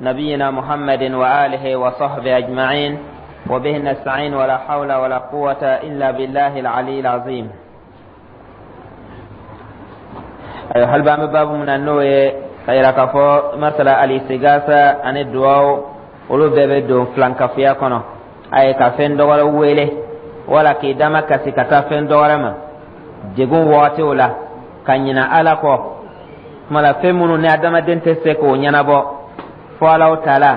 نبينا محمد وآله وصحبه أجمعين وبه نستعين ولا حول ولا قوة إلا بالله العلي العظيم. Hali b'an bɛ baabu min na, n'o ye ka yira k'a fɔ masala alistigasa ani duwawu, olu bɛɛ bɛ don filankafoya kɔnɔ. A ye ka fɛn dɔwɛrɛ wele wala k'i dama kasi ka taa fɛn dɔwɛrɛ ma degun wagatiw la, ka ɲina Ala kɔ. Tuma la, fɛn minnu ni adamaden tɛ se k'o ɲɛnabɔ fo Alaw taala,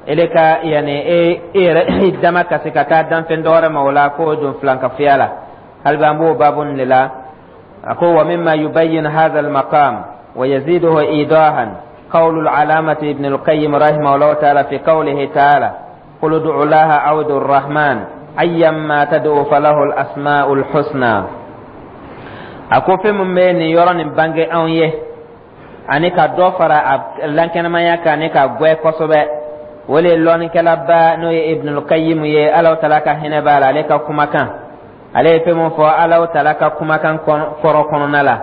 ele ka yanni e yɛrɛ i dama kasi ka taa danfɛn dɔwɛrɛ ma, o la k'o don filankafoya la. Hali bi an b'o baabu nin de la. A ko: wa mimma yubayyin hadha al-maqam wa yaziduhu idahan qawlu al-alamati ibn al-Qayyim rahimahullah ta'ala fi qawlihi ta'ala: qul ud'u Allaha aw ud'u ar-Rahman ayyamma tad'u falahu al-asma'ul husna. A ko fɛn min bɛ nin yɔrɔ nin bange anw ye ani ka dɔ fara a lankɛnɛmaya kan ani ka gwɛ kosɛbɛ, o le ye lɔnnikɛlaba n'o ye Ibnul Qayyim ye, Alaw tala ka hinɛ b'a la, ale ka kumakan, ale ye fɛn min fɔ Alaw tala ka kumakan kɔrɔ kɔnɔna la,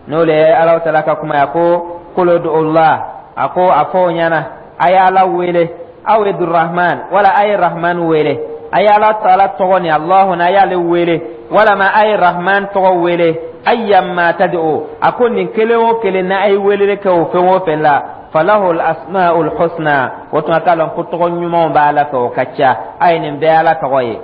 n'o le ye Alaw tala ka kuma ye. A ko: qul ud'ullah, a ko a fɔ o ɲɛna, a ye Ala wele, aw ud'urrahman, wala a ye Rahman wele. A ye Ala taala tɔgɔ ni Alahu na, a y'ale wele, walama a ye Rahman tɔgɔ wele. Ayyamma tad'u, a ko nin kelen o kelen na, a ye weleli kɛ o fɛn o fɛn la, falahu asmaul husna, o tuma k'a lɔn ko tɔgɔ ɲumanw b'a la fɛ, o ka ca. A ye nin bɛɛ Ala tɔgɔ ye.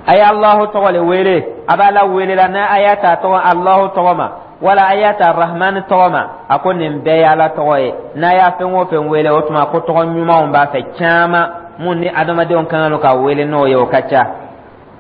A ye Alahu tɔgɔ le wele, a b'a la wele la n'a a y'a ta tɔgɔ Alahu tɔgɔ ma, wala a y'a ta Rahman tɔgɔ ma. A ko nin bɛɛ ye Ala tɔgɔ ye. N'a y'a fɛn o fɛn wele, o tuma ko tɔgɔ ɲumanw b'a fɛ caman mun ni adamadenw kan ka wele n'o ye, o ka ca.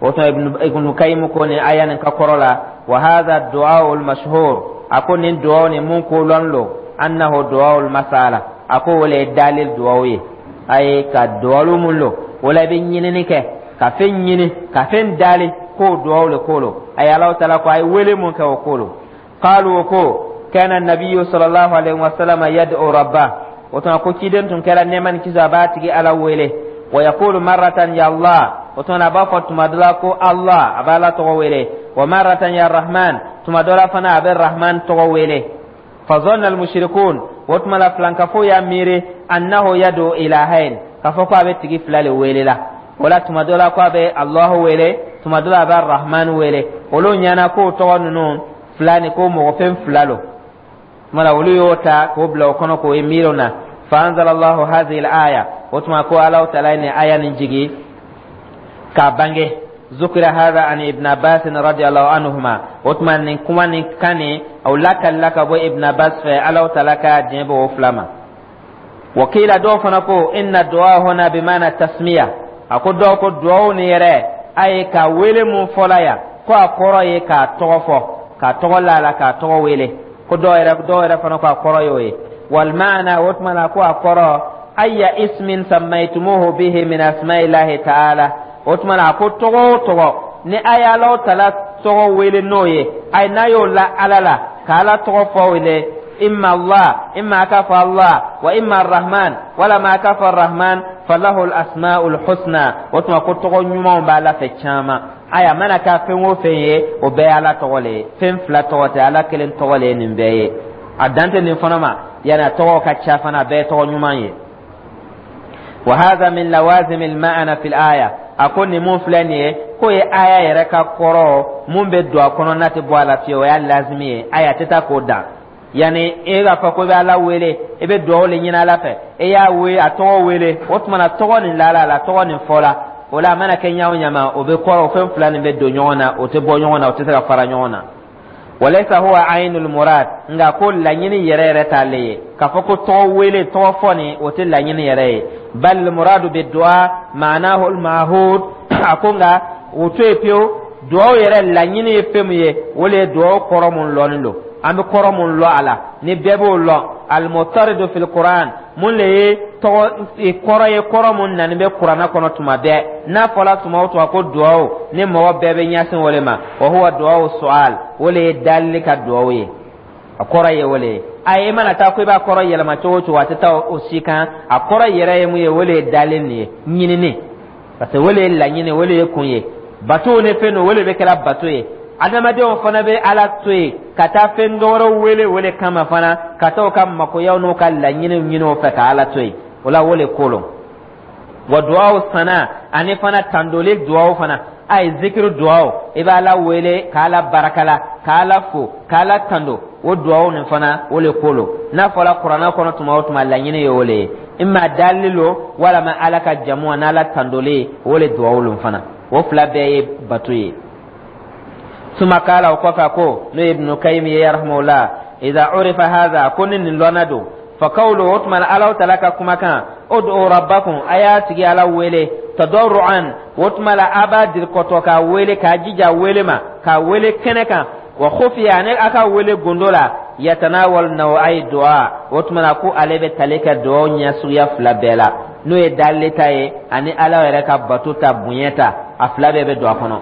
O tuma Ibnu Kayimu ko nin aya nin ka kɔrɔ la: wa hadha du'a al mashhur, a ko nin du'a nin mun ko lɔn lo, annahu du'a al masala, a ko o le ye dalil du'a ye. A ye ka duwalu mun lo, o la i bɛ ɲinini kɛ ka fɛn ɲini ka fɛn dali, k'o duwawu le ko lo. A ye Alahu taala ko a ye wele mun kɛ, o ko lo. Qalu, ko kana nabiyu sallallahu alaihi wasallam yad'u rabbah, o tuma ko ciden tun kɛra, nɛɛma ni kisi a b'a tigi Ala wele. Wa yaqulu marratan ya Allah, o tuma a b'a fɔ tuma dɔ la ko Allah, a b'a Ala tɔgɔ wele. Wa marratan ya Rahman, tuma dɔ la fana a bɛ Rahman tɔgɔ wele. Fazanna almushrikun, o tuma la filankafo y'a miiri, annahu yad'u ilahain, k'a fɔ ko a bɛ tigi fila le wele la. O la tuma dɔ la ko a bɛ Allahu wele, tuma dɔ la a bɛ Rahman wele. Olu ɲɛna k'o tɔgɔ ninnu fila ni ko mɔgɔ fɛn fila lo. Tuma la olu y'o ta k'o bila o kɔnɔ k'o ye miiri na. Fa anzalallahu hadhihi al-aya, o tuma ko Alahu taala ye nin aya nin jigi k'a bange. Zukira hadha an Ibn Abbas radiyallahu anhuma, o tuma nin kuma nin kan nin o lakalila ka bɔ Ibn Abbas fɛ, Alahu taala ka diɲɛ bɔ o fila ma. Wakila, dɔw fana ko: inna du'a huna bimana tasmiya, a ko dɔw ko duwawu nin yɛrɛ, a ye ka wele mun fɔla yan, ko a kɔrɔ ye k'a tɔgɔ fɔ, k'a tɔgɔ lala, k'a tɔgɔ wele. Ko dɔw yɛrɛ fana ko a kɔrɔ y'o ye. Wal maana, o tuma na ko a kɔrɔ: ayya ismin sammaytumuhu bihi min asma'illahi ta'ala, o tuma na a ko tɔgɔ o tɔgɔ ni a ye Alahu taala tɔgɔ wele n'o ye, ayi n'a y'o la Ala la, ka Ala tɔgɔ fɔ wele, imma Allah, imma a k'a fɔ Allah, wa imma Rahman, walama a k'a fɔ Rahman, falahu al-asma'ul husna, o tuma ko tɔgɔ ɲumanw b'a la fɛ caman. Aya mana k'a fɛn o fɛn ye, o bɛɛ ye Ala tɔgɔ le ye. Fɛn fila tɔgɔ tɛ, Ala kelen tɔgɔ le ye nin bɛɛ ye. A dan tɛ nin fana ma, yani a tɔgɔ ka ca fana, a bɛɛ ye tɔgɔ ɲuman ye. Wa hadha min lawazim al-ma'na fi al-aya, a ko nin mun filɛ nin ye, k'o ye aya yɛrɛ ka kɔrɔ mun bɛ don a kɔnɔ n'a tɛ bɔ a la fiyewu, o y'a lazimi ye. Aya tɛ taa k'o dan. Yani e k'a fɔ ko i bɛ Ala wele, i bɛ dugawu le ɲini Ala fɛ, e y'a wele, a tɔgɔ wele, o tuma na tɔgɔ nin lala la, tɔgɔ nin fɔla o la, a mana kɛ ɲa o ɲama, o bɛ kɔrɔ, o fɛn fila nin bɛ don ɲɔgɔn na, o tɛ bɔ ɲɔgɔn na, o tɛ se ka fara ɲɔgɔn na. Walaysa huwa aynul murad, nka ko laɲini yɛrɛ yɛrɛ t'ale ye k'a fɔ ko tɔgɔ wele, tɔgɔ fɔ nin, o tɛ laɲini yɛrɛ ye. Bal muradu bi du'a ma'nahu al ma'hud, a ko nka o to yen pewu, duwawu yɛrɛ laɲini ye fɛn min ye, o le ye duwawu kɔrɔ mun lɔnnen don, an bɛ kɔrɔ mun lɔ a la ni bɛɛ b'o lɔn, almutaridu fil Quran, mun le ye tɔgɔ kɔrɔ ye, kɔrɔ mun nani bɛ Kuranna kɔnɔ tuma bɛɛ. N'a fɔla tuma o tuma ko duwawu, ni mɔgɔ bɛɛ bɛ ɲɛsin o le ma, wa huwa duwawu su'al, o le ye dalili ka duwawu ye, a kɔrɔ ye o le ye. A ye mana taa ko i b'a kɔrɔ yɛlɛma cogo o cogo, a tɛ taa o si kan. A kɔrɔ yɛrɛ ye mun ye? O le ye dalili nin ye, ɲinini, parce que o le ye laɲini, o le ye kun ye. Bato ni fɛn don, o le bɛ kɛra bato ye. Adamadenw fana bɛ Ala to yen ka taa fɛn dɔwɛrɛ wele o le kama fana, ka taa u ka makoyaw n'u ka laɲiniw ɲini o fɛ ka Ala to yen. O la, o le ko lo. Wa duwawu sana, ani fana tandoli duwawu fana, a ye zikiri duwawu, i b'Ala wele k'Ala barakala, k'Ala fo, k'Ala tando, o duwawu nin fana, o le ko lo. N'a fɔra Kuranɛ kɔnɔ tuma o tuma, laɲini ye o le ye, imma dalili lo walama Ala ka jamu n'Ala tandoli, o le duwawu lo fana. O fila bɛɛ ye bato ye. Suma kala, o kɔfɛ ko, n'o ye Ibnu Kayim ye rahimahullah, idha urifa hadha, ko ni nin lɔnna don, fa kawlu, o tuma na Alahu Taala ka kumakan, ud'u rabbakum, a y'a tigi Ala wele, tadarruan, o tuma la a b'a dirikɔtɔ k'a wele, k'a jija wele ma, k'a wele kɛnɛ kan, wa khufiya, ani a ka wele gundo la, yatanawal naw'ay du'a, o tuma na ko ale bɛ tali kɛ duwawu ɲɛ suguya fila bɛɛ la, n'o ye dalili ta ye ani Ala yɛrɛ ka bato ta, bonya ta, a fila bɛɛ bɛ don a kɔnɔ.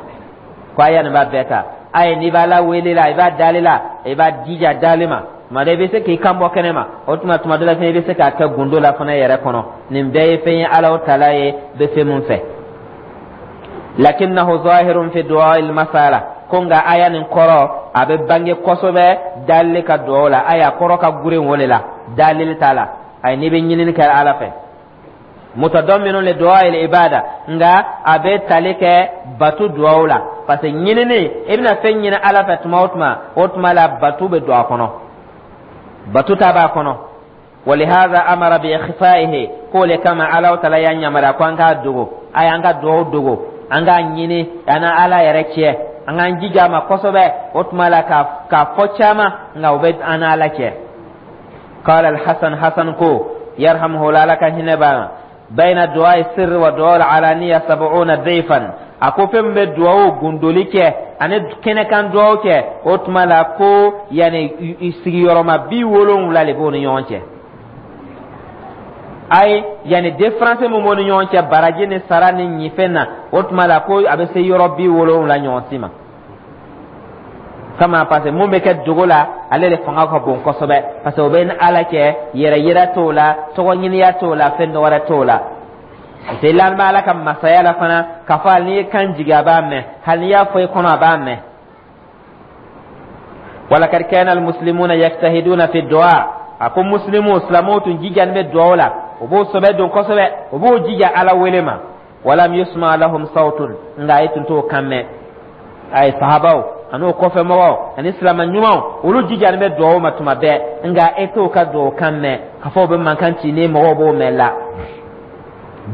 Ko aya nin b'a bɛɛ ta. A ye, n'i b'a la wele la, i b'a dali la, i b'a jija dali ma. Tuma dɔ i bɛ se k'i kan bɔ kɛnɛ ma, o tuma tuma dɔ la fɛnɛ i bɛ se k'a kɛ gundo la fana yɛrɛ kɔnɔ. Nin bɛɛ ye fɛn ye Ala Taala ye bɛ fɛn mun fɛ. Lakinnahu zahirun fi du'a al masala, ko nka aya nin kɔrɔ a bɛ bange kosɛbɛ dalili ka duwawu la. Aya kɔrɔ ka gurin o de la, dalili t'a la. Ayi, n'i bɛ ɲinini kɛ Ala fɛ, mutadamminu li du'a il ibada, nka a bɛ tali kɛ batu duwawu la, parce que ɲinini, i bɛna fɛn ɲini Ala fɛ tuma o tuma, o tuma la batu bɛ don a kɔnɔ, batu ta b'a kɔnɔ. Walihada amara bi ikhfaihi, k'o le kama Ala Taala y'a yamaruya ko an k'a dogo. A y'an ka duwawu dogo, an k'a ɲini an na Ala yɛrɛ cɛ, an k'an jija a ma kosɛbɛ, o tuma la k'a fɔ caman, nka o bɛ an n'Ala cɛ. Qala al-Hasan, Hasan ko, yarhamuhu, Ala ka hinɛ b'a ma, bayna du'a sirri wa du'a al-alaniya 70 dayfan, a ko fɛn min bɛ duwawu gundoli kɛ ani kɛnɛkan duwawu kɛ, o tuma la ko yanni sigiyɔrɔma 70 de b'o ni ɲɔgɔn cɛ. Ayi, yanni différence min b'o ni ɲɔgɔn cɛ baraji ni sara ni ɲifɛn na, o tuma la ko a bɛ se yɔrɔ 70 ɲɔgɔn si ma kama, parce que mun bɛ kɛ dogo la, ale de fanga ka bon kosɛbɛ, parce que o bɛ ni Ala cɛ, yɛrɛ yira t'o la, tɔgɔ ɲiniya t'o la, fɛn dɔ wɛrɛ t'o la. Parce que l'an bɛ Ala ka masaya la fana, k'a fɔ hali n'i ye kan jigin, a b'a mɛn, hali n'i y'a fɔ i kɔnɔ, a b'a mɛn. Walakad kana almuslimuna yajtahiduna fi du'a, a ko muslimu, silamɛw tun jijani bɛ duwawu la, u b'o sɛbɛ don kosɛbɛ, u b'o jija Ala wele ma. Walam yusma lahum sawtun, nka e tun t'o kan mɛn. A ye sahabaw ani o kɔfɛ mɔgɔw ani silama ɲumanw, olu jijani bɛ duwawu ma tuma bɛɛ, nka e t'o ka duwawu kan mɛn k'a fɔ u bɛ mankan ci ni mɔgɔw b'o mɛn la.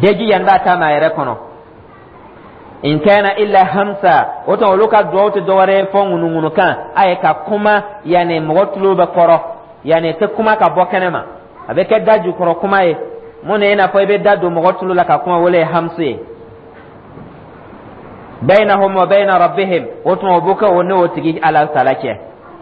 Bɛɛ jijani b'a ta ma a yɛrɛ kɔnɔ. In kana illa hamsa, o tuma olu ka duwawu tɛ dɔwɛrɛ ye fɔ ŋunuŋunukan. A ye ka kuma yanni mɔgɔ tulo bɛ kɔrɔ, yanni tɛ kuma ka bɔ kɛnɛ ma, a bɛ kɛ da jukɔrɔ kuma ye. Mun na? I n'a fɔ i bɛ da don mɔgɔ tulo la ka kuma, wele ye hamsu ye. Bainahum wa baina rabbihim, o tuma o b'o kɛ o ne o tigi Ala Taala cɛ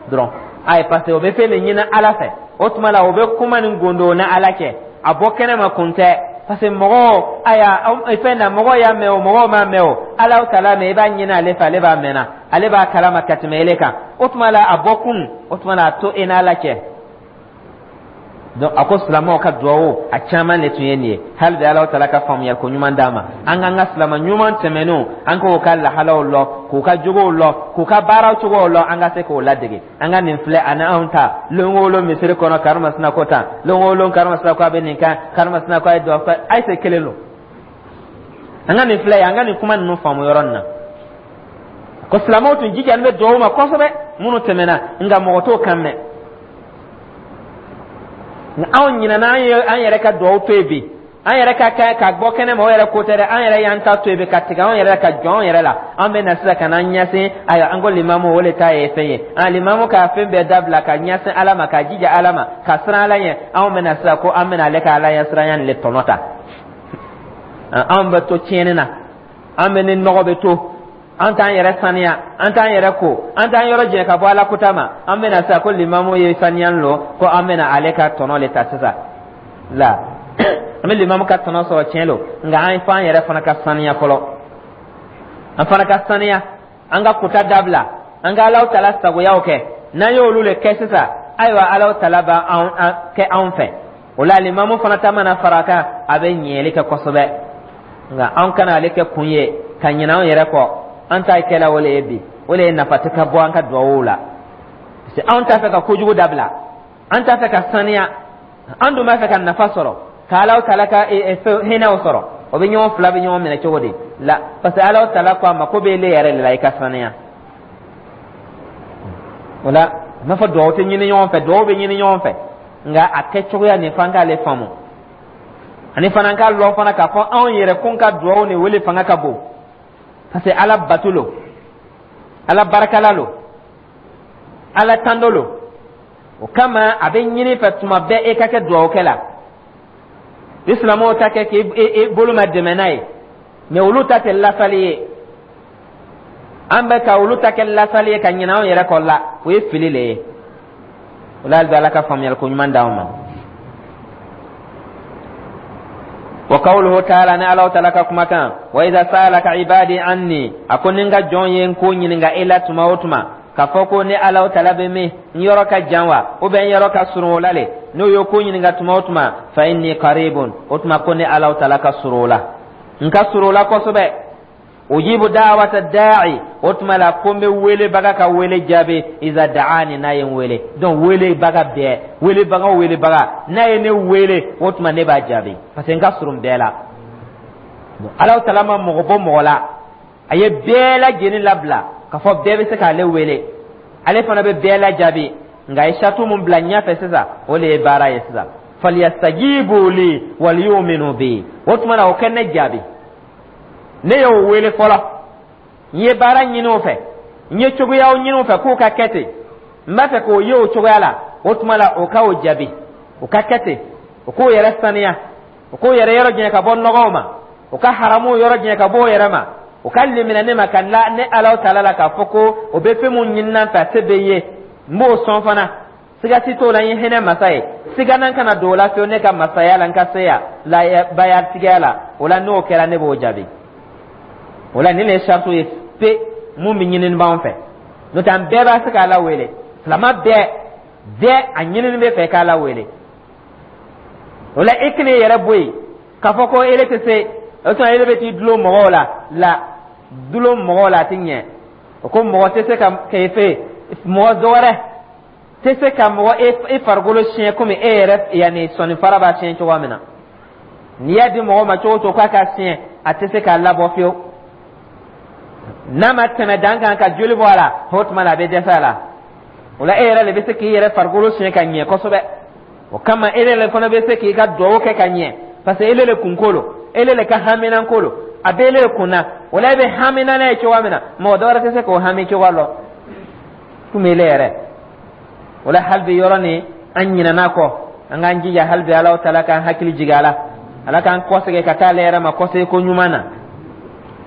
dɔrɔn. Ayi, parce que o bɛ fɛn de ɲini Ala fɛ, o tuma la o bɛ kuma ni gondo ni Ala cɛ, a bɔ kɛnɛ ma kun tɛ, parce que mɔgɔw aya fɛn na, mɔgɔw y'a mɛn o, mɔgɔw m'a mɛn o, Ala Taala mɛn. I b'a ɲini ale fɛ, ale b'a mɛnna, ale b'a kalama ka tɛmɛ ele kan. O tuma la a bɔ kun, o tuma la a to e n'Ala cɛ. Donc a ko silamɛw ka duwawu a caman de tun ye nin ye. Hali bi Ala Taala ka faamuyali ko ɲuman d'an ma, an k'an ka silama ɲuman tɛmɛnenw, an k'o ka lahalaw lɔ, k'u ka jogow lɔ, k'u ka baaraw cogow lɔ, an ka se k'o ladege. An ka nin filɛ ani anw ta lon o lon misiri kɔnɔ, karimasina ko tan, lon o lon karimasina ko a bɛ nin kan, karimasina ko a ye duwawu kɛ, ayi se kelen lo. An ka nin filɛ ye, an ka nin kuma ninnu faamu yɔrɔ nin na, ko silamɛw tun jijalen bɛ duwawu ma kosɛbɛ minnu tɛmɛna, nka mɔgɔ t'o kan mɛn. Anw ɲinɛna, an ye an yɛrɛ ka duwawu to yen bi, an yɛrɛ ka kɛ ka bɔ kɛnɛ ma, o yɛrɛ ko tɛ dɛ, an yɛrɛ y'an ta to yen bi ka tigɛ anw yɛrɛ ka jɔ anw yɛrɛ la. An bɛ na sisan ka n'an ɲɛsin, ayiwa, an ko limamu, o de ta ye fɛn ye. An limamu ka fɛn bɛɛ dabila ka ɲɛsin Ala ma, ka jija Ala ma, ka siran Ala ɲɛ. Anw bɛ na sisan ko an bɛna ale ka Ala ɲɛ siranya nin le tɔnɔ ta. Anw bɛ to tiɲɛni na, an bɛ ni nɔgɔ bɛ to, an t'an yɛrɛ saniya, an t'an yɛrɛ ko, an t'an yɔrɔ jɛ ka bɔ Ala kota ma. An bɛna sisan ko limamu ye saniya lo, ko an bɛna ale ka tɔnɔ le ta sisan la. An bɛ limamu ka tɔnɔ sɔrɔ, tiɲɛ lo, nka an fɔ an yɛrɛ fana ka saniya fɔlɔ, an fana ka saniya, an ka kota dabila, an ka Alaw Tala sagoyaw kɛ. N'an y'olu le kɛ sisan, ayiwa, Alaw Tala b'an kɛ anw fɛ. O la limamu fana ta mana fara a kan, a bɛ ɲɛli kɛ kosɛbɛ. Nka an kana ale kɛ kun ye ka ɲinɛ anw yɛrɛ kɔ. An ta kɛla o le ye bi. O de ye nafa tɛ ka bɔ an ka duwawu la, parce que anw t'a fɛ ka kojugu dabila, an t'a fɛ ka saniya, an dun b'a fɛ ka nafa sɔrɔ, ka Alahu taala ka hinɛw sɔrɔ. O bɛ ɲɔgɔn fila bɛ ɲɔgɔn minɛ cogo di la? Parce que Alahu taala ko a ma ko bɛ ele yɛrɛ de la i ka saniya. O la, a m'a fɔ duwawu tɛ ɲini ɲɔgɔn fɛ, duwawu bɛ ɲini ɲɔgɔn fɛ, nka a kɛcogoya nin f'an k'ale faamu, ani fana k'a lɔn fana k'a fɔ anw yɛrɛ kun ka duwawu ni wele fanga ka bon, parce que Ala bato lo, Ala barakala lo, Ala tando lo. O kama a bɛ ɲini fɛ tuma bɛɛ e ka kɛ duwawukɛ la. Ni silamɛw ta kɛ k'i bolo ma dɛmɛ n'a ye, mɛ olu ta tɛ lasali ye. An bɛ ka olu ta kɛ lasali ye ka ɲinɛ anw yɛrɛ kɔ la, o ye fili le ye. O la, hali bi Ala ka faamuyali ko ɲuman d'anw ma. Wa qawluhu ta'ala, ni Alahu taala ka kumakan, wa idha sa'alaka ibadi anni, a ko ni n ka jɔn ye n ko ɲininka e la tuma o tuma, k'a fɔ ko ne Alahu taala bɛ min, n yɔrɔ ka jan wa, ou bien n yɔrɔ ka surun o la le, n'o ye ko ɲininka tuma o tuma, fa inni qaribun, o tuma ko ne Alahu taala ka surun o la, n ka surun o la kosɛbɛ. Ujibu da'wata da'i, o tuma la ko n bɛ welebaga ka wele jaabi, iza da'ani, n'a ye n wele. Donc welebaga bɛɛ, welebaga o welebaga, n'a ye ne wele, o tuma ne b'a jaabi, parce que n ka surun bɛɛ la. Alahu taala ma mɔgɔ bɔ mɔgɔ la, a ye bɛɛ lajɛlen labila k'a fɔ bɛɛ bɛ se k'ale wele, ale fana bɛ bɛɛ lajaabi. Nka a ye saratu mun bila ɲɛfɛ sisan, o de ye baara ye sisan: falyastajibu li waliyuminu bi. O tuma na o kɛ ne jaabi, ne y'o wele fɔlɔ, n ye baara ɲini o fɛ, n ye cogoyaw ɲini o fɛ k'o ka kɛ ten, n b'a fɛ k'o ye o cogoya la. O tuma la o ka o jaabi, o ka kɛ ten, o k'o yɛrɛ saniya, o k'o yɛrɛ yɔrɔ janya ka bɔ nɔgɔw ma, o ka haramuw yɔrɔ janya ka bɔ o yɛrɛ ma, o ka limaniya ne ma, ka la ne Alahu taala la, k'a fɔ ko o bɛ fɛn mun ɲini n fɛ, a se bɛ n ye, n b'o sɔn fana, siga si t'o la, n ye hinɛ masa ye, siganan kana don o la fiyewu ne ka masaya la, n ka seya labayatigiya la. O la, n'o kɛra, ne b'o jaabi. O la, nin de ye saratu ye pe mun bɛ ɲinini b'anw fɛ. N'o tɛ, an bɛɛ b'a se k'Ala wele, silama bɛɛ bɛɛ a ɲinini bɛ fɛ k'Ala wele. O la, i kana i yɛrɛ bɔ yen k'a fɔ ko ele tɛ se, o tuma ele bɛ t'i dulon mɔgɔw la. La dulon mɔgɔw la, a tɛ ɲɛ. O ko mɔgɔ tɛ se ka kɛ fɛ, mɔgɔ dɔ wɛrɛ tɛ se ka mɔgɔ e farikolo siɲɛ komi e yɛrɛ yanni sɔnifara b'a siɲɛ cogoya min na. N'i y'a di mɔgɔ ma cogo o cogo k'a k'a siɲɛ, a tɛ se k'a labɔ fiyewu. N'a ma tɛmɛ dan kan ka joli bɔ a la, o tuma la a bɛ dɛsɛ a la. O la, e yɛrɛ de bɛ se k'i yɛrɛ farikolo siɲɛ ka ɲɛ kosɛbɛ. O kama, e yɛrɛ fana bɛ se k'i ka duwawu kɛ ka ɲɛ, parce que ele le kunko lo, ele le ka haminanko lo, a bɛ ele kun na. O la, e bɛ hamina n'a ye cogoya min na, mɔgɔ dɔ wɛrɛ tɛ se k'o hami cogoya lɔn komi ele yɛrɛ. O la, hali bi yɔrɔ nin an ɲinɛna kɔ, an k'an jija hali bi Alahu taala k'an hakili jigin a la, Ala k'an kɔsegin ka taa ale yɛrɛ ma kɔsegin ko ɲuman na,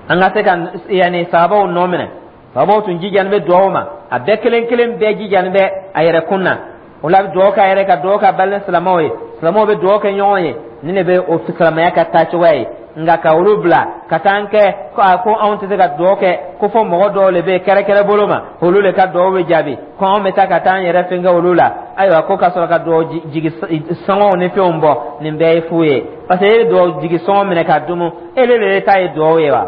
an ka se ka yanni sahabaw nɔ minɛ. Sahabaw tun jijani bɛ duwawu ma, a bɛɛ kelen kelen bɛɛ jijani bɛ a yɛrɛ kun na. O la, a bɛ duwawu k'a yɛrɛ, ka duwawu k'a balima silamɛw ye, silamɛw bɛ duwawu kɛ ɲɔgɔn ye. Nin de bɛ o silamɛya ka taa cogoya ye. Nka ka olu bila ka taa an kɛ ko a ko anw tɛ se ka duwawu kɛ, ko fɔ mɔgɔ dɔw de bɛ yen kɛrɛkɛrɛ bolo ma, olu de ka duwawu bɛ jaabi, ko anw bɛ taa ka taa an yɛrɛ fɛn kɛ olu la, ayiwa, ko ka sɔrɔ ka duwawu jigi sɔngɔw ni fɛnw bɔ, nin bɛɛ ye fu ye. Parce que e ye duwawu jigi sɔngɔ minɛ k'a dumu, e de ta ye duwawu ye wa?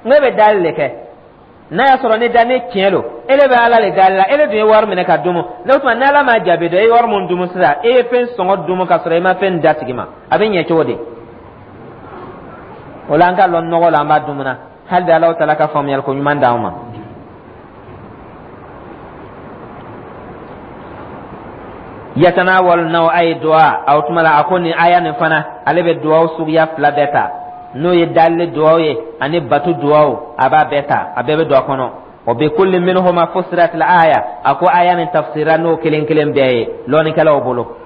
N ko e bɛ dali de kɛ. N'a y'a sɔrɔ ne da ne tiɲɛ don, e de bɛ Ala le dali la, e de dun ye wari minɛ ka dumu n'o tuma, n'Ala m'a jaabi dɔn, e ye wari mun dumu sisan, e ye fɛn sɔngɔ dumu ka sɔrɔ e ma fɛn d'a tigi ma, a bɛ ɲɛ cogo di? O la, an ka lɔn nɔgɔ la, an b'a dumuna. Hali bi Alahu taala ka faamuyali ko ɲuman d'anw ma. Yatanawalu naw'ay du'a, o tuma la a ko nin aya nin fana, ale bɛ duwawu suguya fila bɛɛ ta, n'o ye dalili duwawu ye ani batu duwawu, a b'a bɛɛ ta, a bɛɛ bɛ don a kɔnɔ. Wa bi kulli minhuma fussirat al aya, a ko aya nin tafsira n'o kelen kelen bɛɛ ye lɔnnikɛlaw bolo.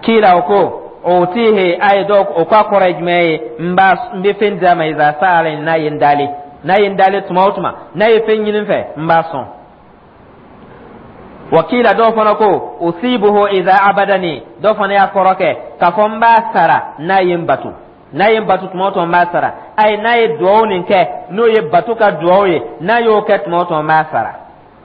Kila, o ko utihi, a ye dɔw o k'a kɔrɔ ye jumɛn ye? N b'a n bɛ fɛn d'a ma, iza sa'ala, n'a ye n dali, n'a ye n dali tuma o tuma, n'a ye fɛn ɲini n fɛ, n b'a sɔn. Wakila, dɔw fana ko usibuhu iza abadani, dɔw fana y'a kɔrɔ kɛ k'a fɔ n b'a sara n'a ye n bato, n'a ye n bato tuma o tuma, n b'a sara. Ayi, n'a ye duwawu nin kɛ, n'o ye bato ka duwawu ye, n'a y'o kɛ tuma o tuma, n b'a sara,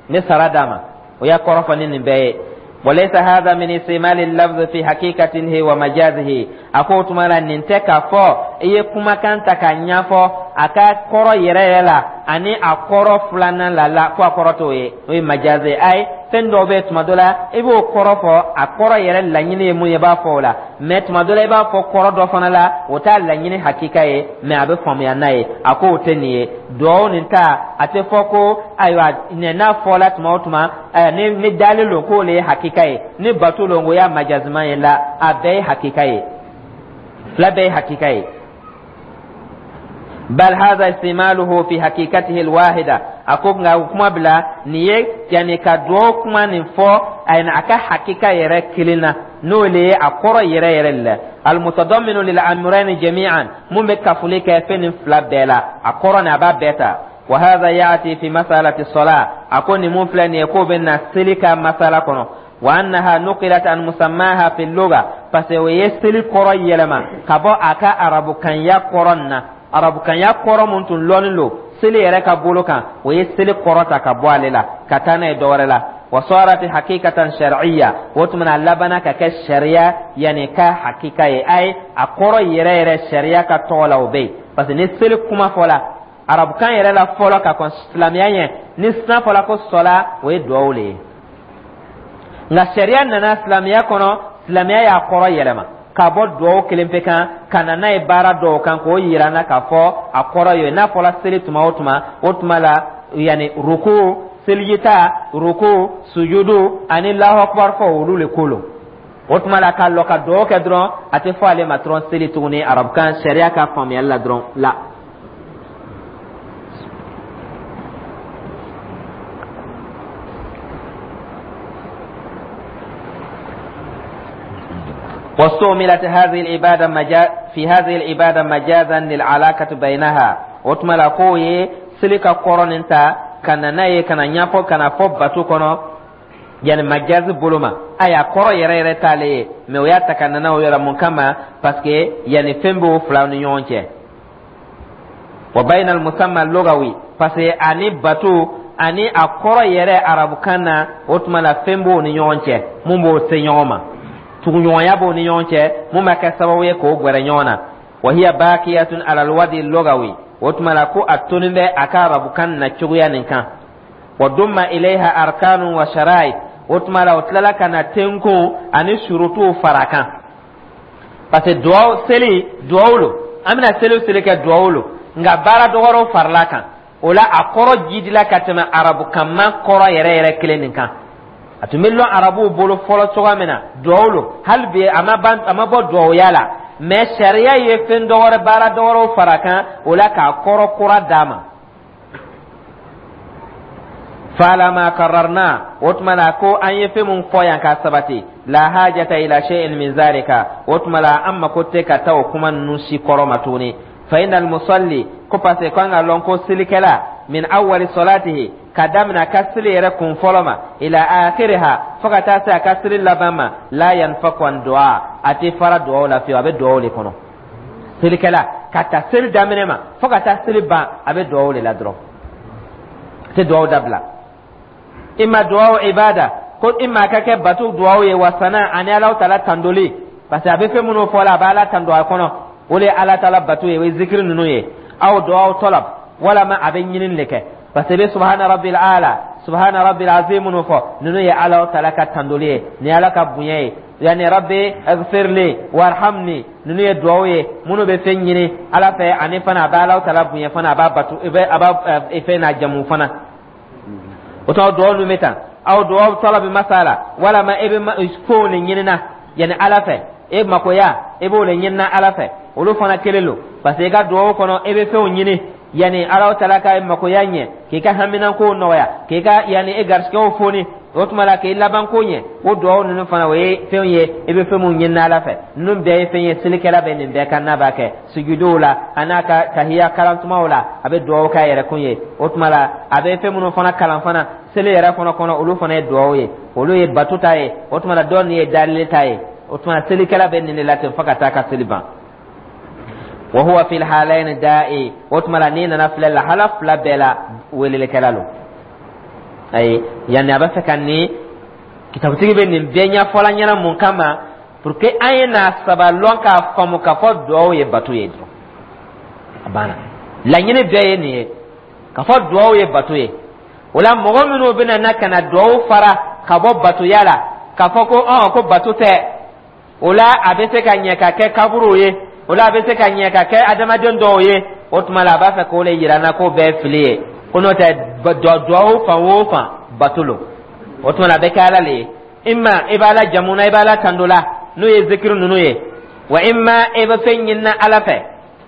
n bɛ sara d'a ma. O y'a kɔrɔ fɔ ni nin bɛɛ ye. Walaysa hadha min istimali lafzi fi hakikatihi wa majazihi, a ko o tuma la nin tɛ k'a fɔ i ye kumakan ta k'a ɲɛfɔ. a ka kɔrɔ yɛrɛ yɛrɛ la ani a kɔrɔ filanan la la ko a kɔrɔ t'o ye, o ye majaze. Ayi, fɛn dɔw bɛ yen, tuma dɔ la i b'o kɔrɔ fɔ, a kɔrɔ yɛrɛ laɲini ye mun ye, i b'a fɔ o la. Mɛ tuma dɔ la, i b'a fɔ kɔrɔ dɔ fana la, o t'a laɲini hakika ye, mɛ a bɛ faamuya n'a ye. A ko o tɛ nin ye. Duwawu nin ta, a tɛ fɔ ko ayiwa n'a fɔla tuma o tuma ni dalen don k'o le ye hakika ye, ni bato don k'o y'a majaziman ye. La, a bɛɛ ye hakika ye, fila bɛɛ ye hakika ye. Bal hadha istimaluhu fi hakikatihi alwahida. A ko nka o kuma bila nin ye, yani ka duwawu kuma nin fɔ a ka hakika yɛrɛ kelen na, n'o le ye a kɔrɔ yɛrɛ yɛrɛ la, almutadamminu lil amrayni jami'an, mun bɛ kafoli kɛ fɛn nin fila bɛɛ la, a kɔrɔ nin a b'a bɛɛ ta. Wa hadha ya'ti fi masalati salat. A ko nin mun filɛ nin ye, k'o bɛ na seli ka masala kɔnɔ. Wa annaha nuqilat an musammaha fi lugha, parce que o ye seli kɔrɔ yɛlɛma ka bɔ a ka arabukanya kɔrɔ nin na. Arabukanya kɔrɔ mun tun lɔnnen don seli yɛrɛ ka bolo kan, o ye seli kɔrɔ ta ka bɔ ale la ka taa n'a ye dɔwɛrɛ la. Wa sarat hakikatan shar'iyya, o tuma na a labanna ka kɛ sariya yani ka hakika ye. Ayi, a kɔrɔ yɛrɛ yɛrɛ sariya ka tɔgɔ la, o bɛ yen, parce que ni seli kuma fɔla arabukan yɛrɛ la fɔlɔ ka kɔn silamɛya ɲɛ, ni sina fɔla ko sɔla, o ye duwawu le ye. Nka sariya nana silamɛya kɔnɔ, silamɛya y'a kɔrɔ yɛlɛma ka bɔ duwawu kelen pe kan ka na n'a ye baara dɔw kan, k'o yira an na k'a fɔ a kɔrɔ ye n'a fɔla seli tuma o tuma, o tuma la yanni ruku, selijita, ruku, sujudu ani lahu akubar fɔ, olu le ko lo. O tuma la ka lɔ ka duwawu kɛ dɔrɔn, a tɛ fɔ ale ma dɔrɔn seli tuguni arabukan sariya ka faamuyali la dɔrɔn la. واستعملت هذه العبادة مجا في هذه العبادة مجازا للعلاقة بينها. O tuma la k'o ye seli ka kɔrɔ nin ta ka na n'a ye ka na ɲɛfɔ ka na fɔ bato kɔnɔ, yani majazi bolo ma. Ayi, a kɔrɔ yɛrɛ yɛrɛ t'ale ye, mɛ o y'a ta ka na n'a o yɔrɔ mun kama? Parce que yani fɛn b'o filaw ni ɲɔgɔn cɛ. Wa bayna al-musamma lugawi, parce que ani bato ani a kɔrɔ yɛrɛ arabukan na, o tuma la fɛn b'o ni ɲɔgɔn cɛ mun b'o se ɲɔgɔn ma, tuguɲɔgɔnya b'o ni ɲɔgɔn cɛ mun b'a kɛ sababu ye k'o gwɛrɛ ɲɔgɔn na. Wa hiya baqiyatun ala alwadi lugawi, o tuma la ko a tonin bɛ a ka arabukan na cogoya nin kan. Wa dumma ilayha arkanun wa sharait, o tuma la o tilala ka na tenkun ani surutuw fara kan, parce que duwawu seli duwawu lo, an bɛna seli o seli kɛ duwawu lo, nka baara dɔgɔrɔw farala kan. O la a kɔrɔ jidila ka tɛmɛ arabukanma kɔrɔ yɛrɛ yɛrɛ kelen nin kan. A tun bɛ lɔn arabuw bolo fɔlɔ cogoya min na, duwawu lo, hali bi a ma ban, a ma bɔ duwawuya la, mɛ sariya ye fɛn dɔwɛrɛ, baara dɔwɛrɛw fara kan o la k'a kɔrɔ kura d'a ma. Fala ma kararna, o tuma la ko an ye fɛn mun fɔ yan k'a sabati, la hajata ila shay'in min zalika, o tuma la an mako tɛ ka taa o kuma ninnu si kɔrɔ ma tuguni. Fa innal musalli, ko parce que k'an ka lɔn ko selikɛla, min awwali salatihi, ka daminɛ a ka seli yɛrɛ kun fɔlɔ ma, ila akhiriha, fo ka taa se a ka seli laban ma, la yanfaku an du'a, a tɛ fara duwawu la fiyewu, a bɛ duwawu le kɔnɔ. Selikɛla ka ta seli daminɛ ma fo ka taa seli ban, a bɛ duwawu le la dɔrɔn, a tɛ duwawu dabila. Imma duwawu ibada, ko imma a ka kɛ bato duwawu ye, wa sana ani Alahu taala tandoli, parce que a bɛ fɛn minnu fɔ la, a bɛ Ala tando a kɔnɔ, o de ye Ala taala bato ye, o ye zikiri ninnu ye. Aw duwawu talab, walama a bɛ ɲinini de kɛ, parce que i bɛ subhana rabbil ala, subhana rabbil azim minnu fɔ, ninnu ye Ala taala ka tandoli ye, nin ye Ala ka bonya ye. Yani rabbi ighfirli warhamni, ninnu ye duwawu ye minnu bɛ fɛn ɲini Ala fɛ, ani fana a bɛ Ala taala bonya fana, a b'a bato, a b'a fɛn n'a jamu fana. O tuma duwawu ninnu bɛ tan. Aw duwawu talabi masala, walama e bɛ kow de ɲinina yani Ala fɛ, e makoya e b'o de ɲinina Ala fɛ, olu fana kelen don, parce que i ka duwawu kɔnɔ e bɛ fɛnw ɲini yani Ala taala ka makoya ɲɛ, k'i ka haminankow nɔgɔya, k'i ka yani e garisigɛw foni, o tuma la k'i labanko ɲɛ. O duwawu ninnu fana, o ye fɛnw ye i bɛ fɛn minnu ɲini Ala fɛ. Ninnu bɛɛ ye fɛn ye selikɛla bɛ nin bɛɛ kan n'a b'a kɛ sujuduw la, a n'a ka tahiya kalantumaw la, a bɛ duwawu k'a yɛrɛ kun ye. O tuma la a bɛ fɛn minnu fana kalan fana seli yɛrɛ fana kɔnɔ, olu fana ye duwawu ye, olu ye bato ta ye. O tuma la dɔw nin ye dalili ta ye. O tuma selikɛla bɛ nin de la ten fo ka taa ka seli ban. Wa huwa fil halayn da'i, o tuma la n'i nana filɛ lahala fila bɛɛ la, welelikɛla lo. Ayi, yanni a b'a fɛ ka nin kitabutigi bɛ nin bɛɛ ɲɛfɔla ɲɛna mun kama? Pour que an ye n'a saba lɔn k'a faamu k'a fɔ duwawu ye bato ye dɔrɔn, a banna. Laɲini bɛɛ ye nin ye, k'a fɔ duwawu ye bato ye. O la, mɔgɔ minnu bɛna na ka na duwawu fara ka bɔ batoya la, k'a fɔ ko ɔn ko bato tɛ, o la a bɛ se ka ɲɛ ka kɛ kaburuw ye, o la a bɛ se ka ɲɛ ka kɛ adamaden dɔw ye, o tuma la a b'a fɛ k'o le yira n na k'o bɛɛ ye fili ye, ko n'o tɛ duwawu fan o fan bato lo. O tuma la, a bɛ kɛ Ala le ye. Imma i b'Ala jamu na, i b'Ala tando la, n'o ye zikiri ninnu ye wa, imma i bɛ fɛn ɲinina Ala fɛ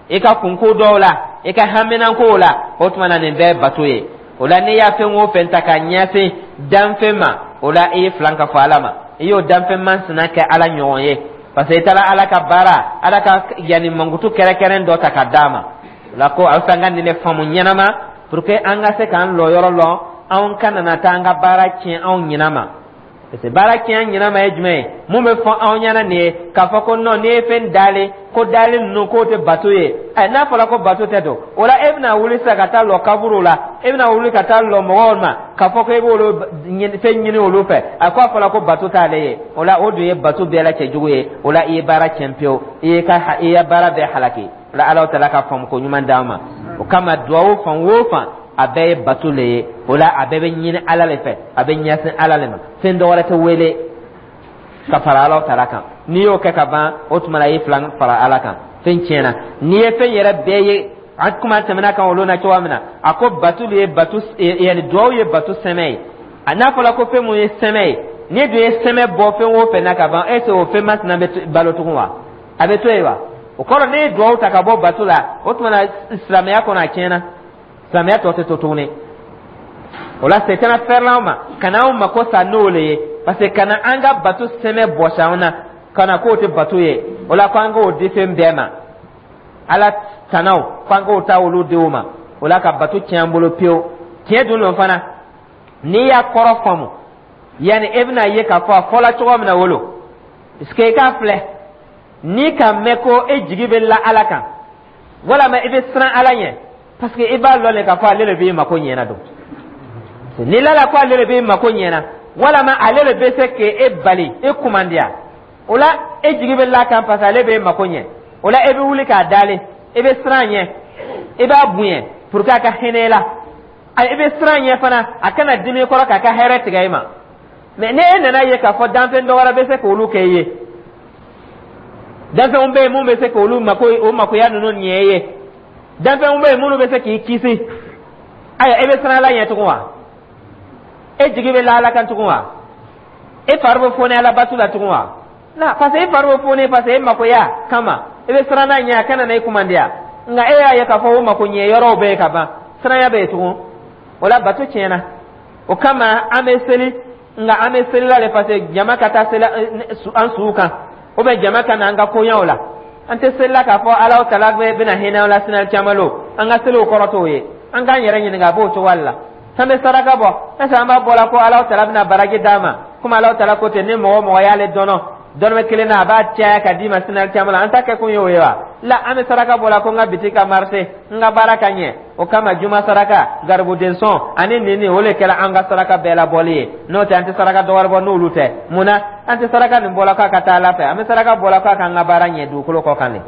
i ka kunko dɔw la, i ka haminankow la. O tuma na, nin bɛɛ bato ye. O la, n'i y'a fɛn o fɛn ta ka ɲɛsin danfɛn ma, o la i ye filan ka fɔ Ala ma, i y'o danfɛn masina kɛ Ala ɲɔgɔn ye, parce que i taara Ala ka baara, Ala ka yanni mankutu kɛrɛnkɛrɛn dɔ ta ka d'a ma. O la, ko a bɛ fɛ an ka nin de faamu ɲɛnama pour que an ka se k'an lɔyɔrɔ lɔn, anw kana na taa an ka baara tiɲɛ anw ɲinɛ ma. Parce que baara tiɲɛ ɲinɛ ma ye jumɛn ye? Mun bɛ fɔ anw ɲɛna nin ye k'a fɔ ko non, n'i ye fɛn dalen ko dalen ninnu k'o tɛ bato ye? Ɛ, n'a fɔra ko bato tɛ don, o la e bɛna wuli sisan ka taa lɔ kaburu la, e bɛna wuli ka taa lɔ mɔgɔw ma k'a fɔ ko e b'olu fɛn ɲini olu fɛ. A ko a fɔra ko bato t'ale ye. O la, o dun ye bato bɛɛ la cɛjugu ye. O la, i ye baara tiɲɛ pewu, i ye baara bɛɛ halaki. O la, Ala taala ka faamu ko ɲuman d'an ma. O kama, duwawu fan o fan, a bɛɛ ye bato le ye. O la, a bɛɛ bɛ ɲini Ala le fɛ, a bɛ ɲɛsin Ala le ma, fɛn dɔ wɛrɛ tɛ wele ka fara Ala taala kan. N'i y'o kɛ ka ban, o tuma la i ye filan fara Ala kan, fɛn tiɲɛna. N'i ye fɛn yɛrɛ bɛɛ ye, an kuma tɛmɛna kan olu na cogoya min na, a ko bato le ye bato, yanni duwawu ye bato sɛmɛ ye. A n'a fɔra ko fɛn mun ye sɛmɛ ye, n'i dun ye sɛmɛ bɔ fɛn o fɛn na ka ban, est ce que o fɛn masina bɛ balo tugun wa? A bɛ to yen wa? O kɔrɔ, ne ye duwawu ta ka bɔ bato la, o tuma na silamɛya kɔnɔ a tiɲɛna, silamɛya tɔ tɛ to tuguni. O la, setana fɛrɛla anw ma ka na anw mako sa n'o le ye, parce que ka na an ka bato sɛmɛ bɔsi anw na, ka na k'o tɛ bato ye. O la, ko an k'o di fɛn bɛɛ ma, Ala tanaw, ko an k'o ta olu denw ma. O la, ka bato tiɲɛ an bolo pewu. Tiɲɛ dun don fana, n'i y'a kɔrɔ faamu, yanni e bɛna ye k'a fɔ a fɔla cogo min na wolo, parce que i k'a filɛ, n'i ka mɛn ko e jigi bɛ la Ala kan, walama i bɛ siran Ala ɲɛ, parce que i b'a lɔn de k'a fɔ ale de b'i mako ɲɛna don. N'i lala ko ale de b'i mako ɲɛna, walama ale de bɛ se k'e bali e kumandiya, o la e jigi bɛ la kan, parce que ale b'e mako ɲɛ. O la, e bɛ wuli k'a dalen, i bɛ siran ɲɛ, i b'a bonya pour que a ka hinɛ i la, i bɛ siran ɲɛ fana a kana dimi i kɔrɔ k'a ka hɛrɛ tigɛ i ma. Mais ni e nana ye k'a fɔ danfɛn dɔ wɛrɛ bɛ se k'olu kɛ i ye, danfɛnw bɛ yen mun bɛ se k'olu mako, o makoya ninnu ɲɛ i ye, danfɛnw bɛ yen minnu bɛ se k'i kisi, ayiwa, e bɛ siran Ala ɲɛ tugun wa? E jigi bɛ la Ala kan tugun wa? E fari bɛ foni Ala batu la tugun wa? Na, parce que e fari bɛ foni parce que e makoya kama, i bɛ siran n'a ɲɛ a kana na i kumandiya. Nka e y'a ye k'a fɔ o mako ɲɛ yɔrɔw bɛ yen ka ban, siranya bɛ yen tugun? O la, bato tiɲɛna. O kama, an bɛ seli, nka an bɛ seli la de parce que jama ka taa seli an suw kan, ou bien jama ka na an ka koɲɛw la. An tɛ seli la k'a fɔ Ala tala bɛna hinɛ an la sini caman lo. An ka seliw kɔrɔ t'o ye. An k'an yɛrɛ ɲininka, a b'o cogoya de la. An bɛ saraka bɔ, est ce que an b'a bɔ la ko Ala tala bɛna baraji d'a ma, komi Ala tala ko ten, ni mɔgɔ o mɔgɔ y'ale dɔnɔ dɔrɔmɛ kelen na, a b'a caya ka d'i ma sini caman la? An ta kɛ kun ye o ye wa? La, an bɛ saraka bɔ la ko n ka bitiki ka marché, n ka baara ka ɲɛ. O kama, juma saraka, garibuden sɔn ani nin nin, o de kɛra an ka saraka bɛɛ labɔli ye. N'o tɛ, an tɛ saraka dɔ wɛrɛ bɔ n'olu tɛ. Mun na an tɛ saraka nin bɔla k'a ka taa Ala fɛ? An bɛ saraka bɔla k'a k'an ka baara ɲɛ dugukolo kɔ kan de,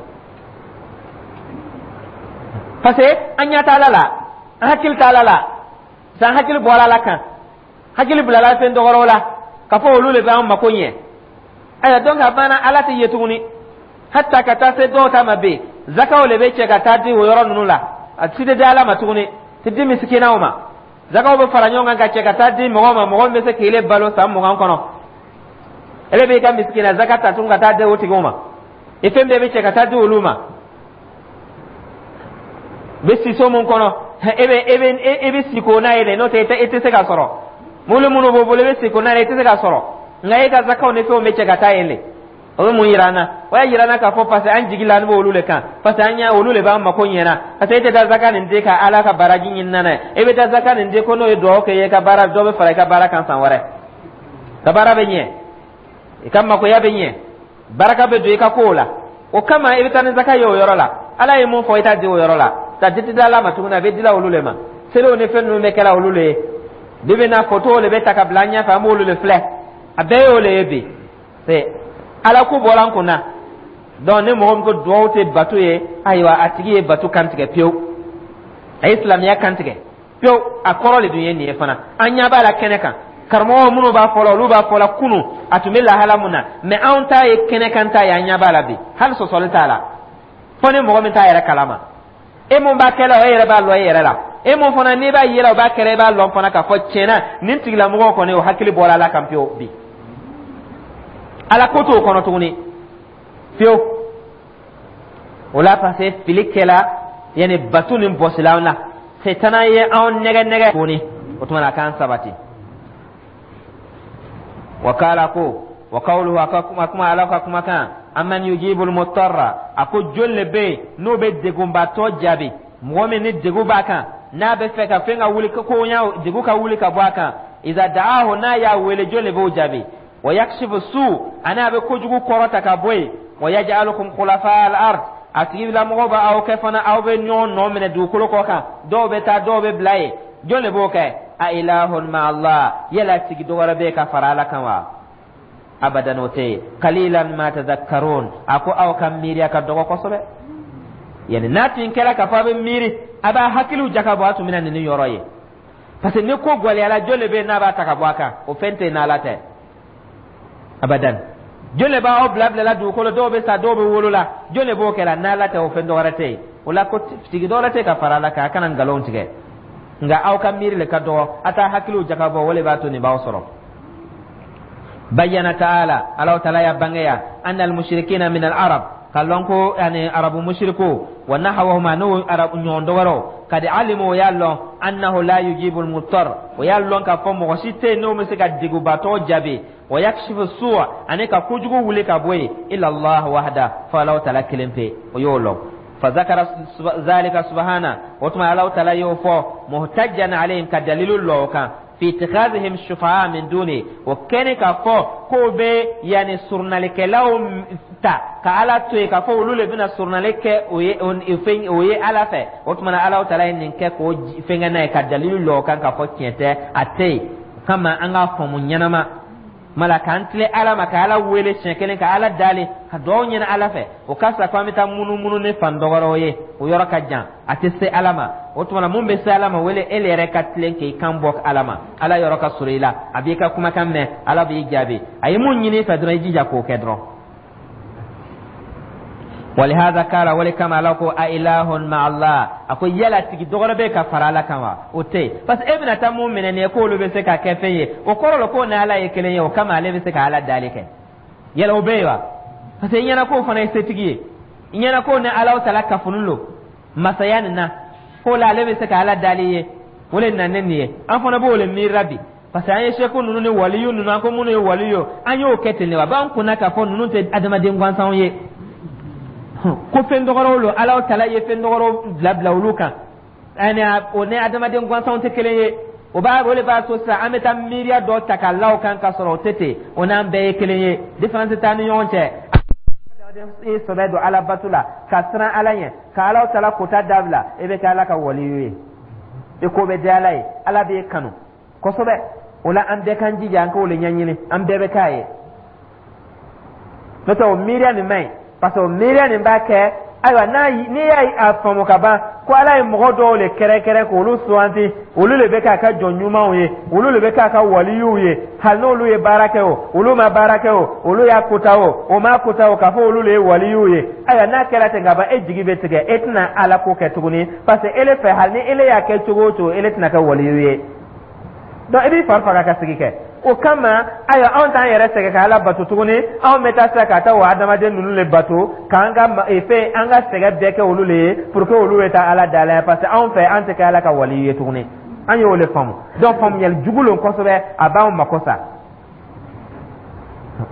parce que an ɲɛ t'Ala la, an hakili t'Ala la. San hakili bɔra Ala kan, hakili bilala fɛn dɔgɔrɔw la k'a fɔ olu de bɛ an mako ɲɛ. Ayiwa, donc a banna, Ala tɛ ye tuguni. Hatta ka taa se dɔw ta ma bɛ zakaw le bɛ cɛ ka taa di o yɔrɔ ninnu la, a si tɛ di Ala ma tuguni, tɛ di misikinaw ma. Zakaw bɛ fara ɲɔgɔn kan ka cɛ ka taa di mɔgɔw ma, mɔgɔ min bɛ se k'ile balo san 20 kɔnɔ. Ele b'i ka misikina zaka ta tuguni ka taa di o tigiw ma. I fɛn bɛɛ bɛ cɛ ka taa di olu ma. Bɛ si so mun kɔnɔ, e bɛ si ko n'a ye dɛ, n'o tɛ e tɛ se ka sɔrɔ. Mobili minnu b'o bolo, i bɛ si ko n'a ye, i tɛ se ka sɔrɔ. Nka e ka zakaw ni fɛnw bɛ cɛ ka taa yen de. O bɛ mun yira an na? O y'a yira an na k'a fɔ parce que an jigi la an b'olu le kan, parce que an ɲɛ olu le b'an mako ɲɛna. Parce que e tɛ taa zaka nin di ka Ala ka baraji ɲini n'a ye. E bɛ taa zaka nin di ko n'o ye dugawu kɛ i ye, ka baara dɔ bɛ fara i ka baara kan san wɛrɛ, ka baara bɛ ɲɛ, i ka makoya bɛ ɲɛ, baraka bɛ don i ka kow la. O kama i bɛ taa ni zaka ye o yɔrɔ la. Ala ye mun fɔ, i t'a di o yɔrɔ la. Ka di tɛ di Ala ma tuguni, a bɛ dila olu le ma. Seliw ni fɛn ninnu bɛ kɛla olu le ye. Bi bi na, fotow le bɛ ta ka bila an ɲɛfɛ, an b'olu le filɛ. A bɛɛ y'o le ye bi. C'est Ala ko bɔra an kun na. Donc ni mɔgɔ min ko duwawu tɛ bato ye, ayiwa, a tigi ye bato kan tigɛ pewu. A ye silamɛya kantigɛ pewu. A kɔrɔ le dun ye nin ye fana, an ɲɛ b'a la kɛnɛ kan. Karamɔgɔ minnu b'a fɔ la, olu b'a fɔ la kunu a tun bɛ lahala mun na, mɛ anw ta ye kɛnɛ kan ta ye, an ɲɛ b'a la bi, hali sɔsɔli t'a la, fo ni mɔgɔ min t'a yɛrɛ kalama. E mun b'a kɛla, o e yɛrɛ b'a lɔn e yɛrɛ la. E mun fana n'i b'a yela o b'a kɛra, i b'a lɔn fana k'a fɔ tiɲɛna nin tigilamɔgɔw kɔni, o hakili bɔra ala kan pewu bi, ala ko t'o kɔnɔ tuguni pewu. O la, parce que fili kɛla, yanni bato nin bɔsila an na, setana ye anw nɛgɛ nɛgɛ tuguni. O tuma na, a k'an sabati. Wa kala ko wa kawluhu, a ka kuma, kuma ala ka kumakan, amman yujibul mutarra, a ko jɔn le bɛ yen n'o bɛ degunbatɔ jaabi? Mɔgɔ min ni degun b'a kan, n'a bɛ fɛ ka fɛn ka wuli, ko ɲa degun ka wuli ka bɔ a kan, iza da'ahu, n'a y'a wele, jɔn le b'o jaabi? Wa yakshifu su, ani a bɛ kojugu kɔrɔta ka bɔ yen. Wa yaj'alukum khulafa al-ard, a tigilamɔgɔ bɛ aw kɛ fana aw bɛ ɲɔgɔn nɔ minɛ dugukolo kɔ kan, dɔw bɛ taa, dɔw bɛ bila yen. Jɔn de b'o kɛ? A ilahun ma Allah, yala tigi dɔ wɛrɛ bɛ yen ka fara ala kan wa? Abadan, o tɛ yen. Qalilan ma tadhakkarun, a ko aw ka miiriya ka dɔgɔ kosɛbɛ. Yani n'a tun kɛra k'a fɔ a bɛ miiri, a b'a hakiliw jakabɔ, a tun bɛna nin yɔrɔ ye, parce que ni ko gɛlɛyara, jɔn de bɛ yen n'a b'a ta ka bɔ a kan? O fɛn tɛ yen n'ala tɛ, abadan. Jɔn de b'aw bila bilala dugukolo, dɔw bɛ sa, dɔw bɛ wolo la, jɔn de b'o kɛ la n'ala tɛ? O fɛn dɔ wɛrɛ tɛ yen. O la, ko tigi dɔ wɛrɛ tɛ ka fara ala kan, a kana nkalon tigɛ. Nka aw ka miiri le ka dɔgɔ, a t'a hakiliw jakabɔ, o le b'a to nin b'aw sɔrɔ. Bayyana ta'ala, Allahu ta'ala ya bangeya, anna al-mushrikina min al-arab, ka lɔn ko yani arabu mushriku, wa nahawahum, n'o arabu ɲɔgɔn dɔwɛrɛw, kadi alimu, o y'a lɔn, annahu la yujibu al-muttar, o y'a lɔn k'a fɔ mɔgɔ si tɛ yen n'o bɛ se ka degunbatɔ jaabi, wa yakshifu su'a, ani ka kojugu wuli ka bɔ yen, illa Allah wahda, fo Allahu ta'ala kelen pe, o y'o lɔn. Fazakara zalika subhana, o tuma Allahu ta'ala y'o fɔ, muhtajjan alayhim, ka dalilu lɔ o kan, fi ittikhazihim shufa'a min duni, o kɛni k'a fɔ k'o bɛ yanni surunalikɛlaw ta ka ala to yen, k'a fɔ olu le bɛna surunali kɛ o ye fɛn o ye ala fɛ. O tuma na, Allahu ta'ala ye nin kɛ k'o fɛnkɛ n'a ye, ka dalilu lɔ o kan k'a fɔ tiɲɛ tɛ, a tɛ yen. O kama, an k'a faamu ɲɛnama mala k'an tile ala ma, ka ala wele siɲɛ kelen, ka ala dali, ka dugawu ɲini ala fɛ, o ka fisa ko an bɛ taa munumunu ni fan dɔgɔrɔw ye. O yɔrɔ ka jan, a tɛ se ala ma. O tuma na, mun bɛ se ala ma? Wele e yɛrɛ ka tilen k'i kan bɔ ala ma, ala yɔrɔ ka surun i la, a b'i ka kumakan mɛn, ala b'i jaabi. A ye mun ɲini i fɛ dɔrɔn, i jija k'o kɛ dɔrɔn. Walihaza kala, wale kama ala ko a ilahun ma Allah, a ko yala tigi dɔgɔrɛ bɛ ka fara ala kan wa? O tɛ yen, parce que e bɛna taa mun minɛ nin ye k'olu bɛ se ka kɛ fɛn ye, o kɔrɔ la k'o ni ala ye kelen ye, o kama ale bɛ se ka ala dali kɛ. Yala o bɛ yen wa? Parce que i ɲɛna k'o fana ye setigi ye, i ɲɛna k'o ni Ala tala kafunin lo masaya nin na, k'o la ale bɛ se ka ala dali ye, o le nana ni nin ye. An fana b'o le miirila bi, parce que an ye seku ninnu ni waliyu ninnu, an ko minnu ye waliyu, an y'o kɛ ten de wa? B'an kunna k'a fɔ ninnu tɛ adamaden gansanw ye, ko fɛn dɔgɔrɔw lo, Ala tala ye fɛn dɔgɔrɔw bila bila olu kan, ani o ni adamaden gansanw tɛ kelen ye. O b'a o de b'a to sisan an bɛ taa miiriya dɔ ta k'a la o kan, k'a sɔrɔ o tɛ ten, o n'an bɛɛ ye kelen ye, différence t'an ni ɲɔgɔn cɛ. I sɔbɛ don ala bato la, ka siran ala ɲɛ, ka Ala tala kota dabila, i bɛ kɛ ala ka waliyu ye, i ko bɛ diya ala ye, ala b'e kanu kosɛbɛ. O la, an bɛɛ k'an jija, an k'o le ɲɛɲini, an bɛɛ bɛ k'a ye. N'o tɛ, o miiriya nin man ɲi, parce que o miiriya nin b'a kɛ, ayiwa, n'a n'i y'a faamu ka ban ko ala ye mɔgɔ dɔw le kɛrɛnkɛrɛn k'olu suganti, olu le bɛ k'a ka jɔn ɲumanw ye, olu le bɛ k'a ka waliyuw ye, hali n'olu ye baara kɛ o, olu ma baara kɛ o, olu y'a kota o, o m'a kota o, k'a fɔ olu le ye waliyuw ye. Ayiwa, n'a kɛra ten ka ban, e jigi bɛ tigɛ, e tɛna ala ko kɛ tuguni, parce que ele fɛ, hali ni ele y'a kɛ cogo o cogo, ele tɛna kɛ waliyu ye. Donc i b'i fari faga ka sigi kɛ. O kama, ayiwa, anw t'an yɛrɛ sɛgɛn ka ala bato tuguni, anw bɛ taa sisan ka taa o adamaden ninnu le bato, k'an ka fɛn, an ka sɛgɛn bɛɛ kɛ olu le ye, pour que olu bɛ taa ala da la, parce que anw fɛ, an tɛ kɛ ala ka waliyu ye tuguni. An y'o le faamu. Donc faamuyali jugu lon kosɛbɛ, a b'anw mako sa,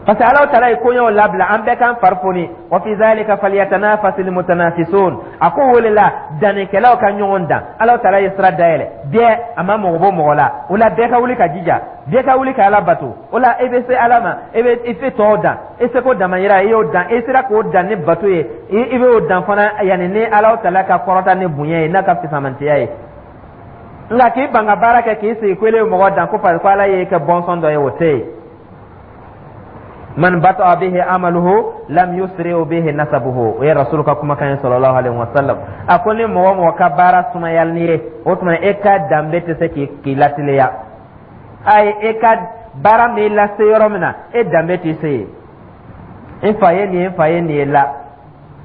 parce que Ala taala ye koɲɛw labila, an bɛɛ k'an fari foni. Wa fi zalika falyatanafasil mutanafisun, a ko wele la dannikɛlaw ka ɲɔgɔn dan. Ala taala ye sira dayɛlɛ bɛɛ, a ma mɔgɔ bɔ mɔgɔ la. O la, bɛɛ ka wuli ka jija, bɛɛ ka wuli ka ala bato. O la, e bɛ se ala ma, e bɛ i se tɔw dan, e seko damayira, i y'o dan, e sera k'o dan ni bato ye, i bɛ o dan fana yanni ni Ala taala ka kɔrɔta ni bonya ye, n'a ka fisamantiya ye. Nka k'i ban ka baara kɛ, k'i sigi ko ele ye mɔgɔ dan, ko parce que ko ala y'e kɛ bɔnsɔn dɔ ye, o tɛ yen. Man bata'a bihi amaluhu lam yusri bihi nasabuhu. O ye Rasulu ka kumakan ye sallallahu alaihi wasallam. A ko ni mɔgɔ mɔgɔ ka baara sumayali ni ye, o tuma e ka danbe tɛ se k'i lateliya. Ayi, e ka baara m'i lase yɔrɔ min na, e danbe tɛ se yen. N fa ye nin ye, n fa ye nin ye la,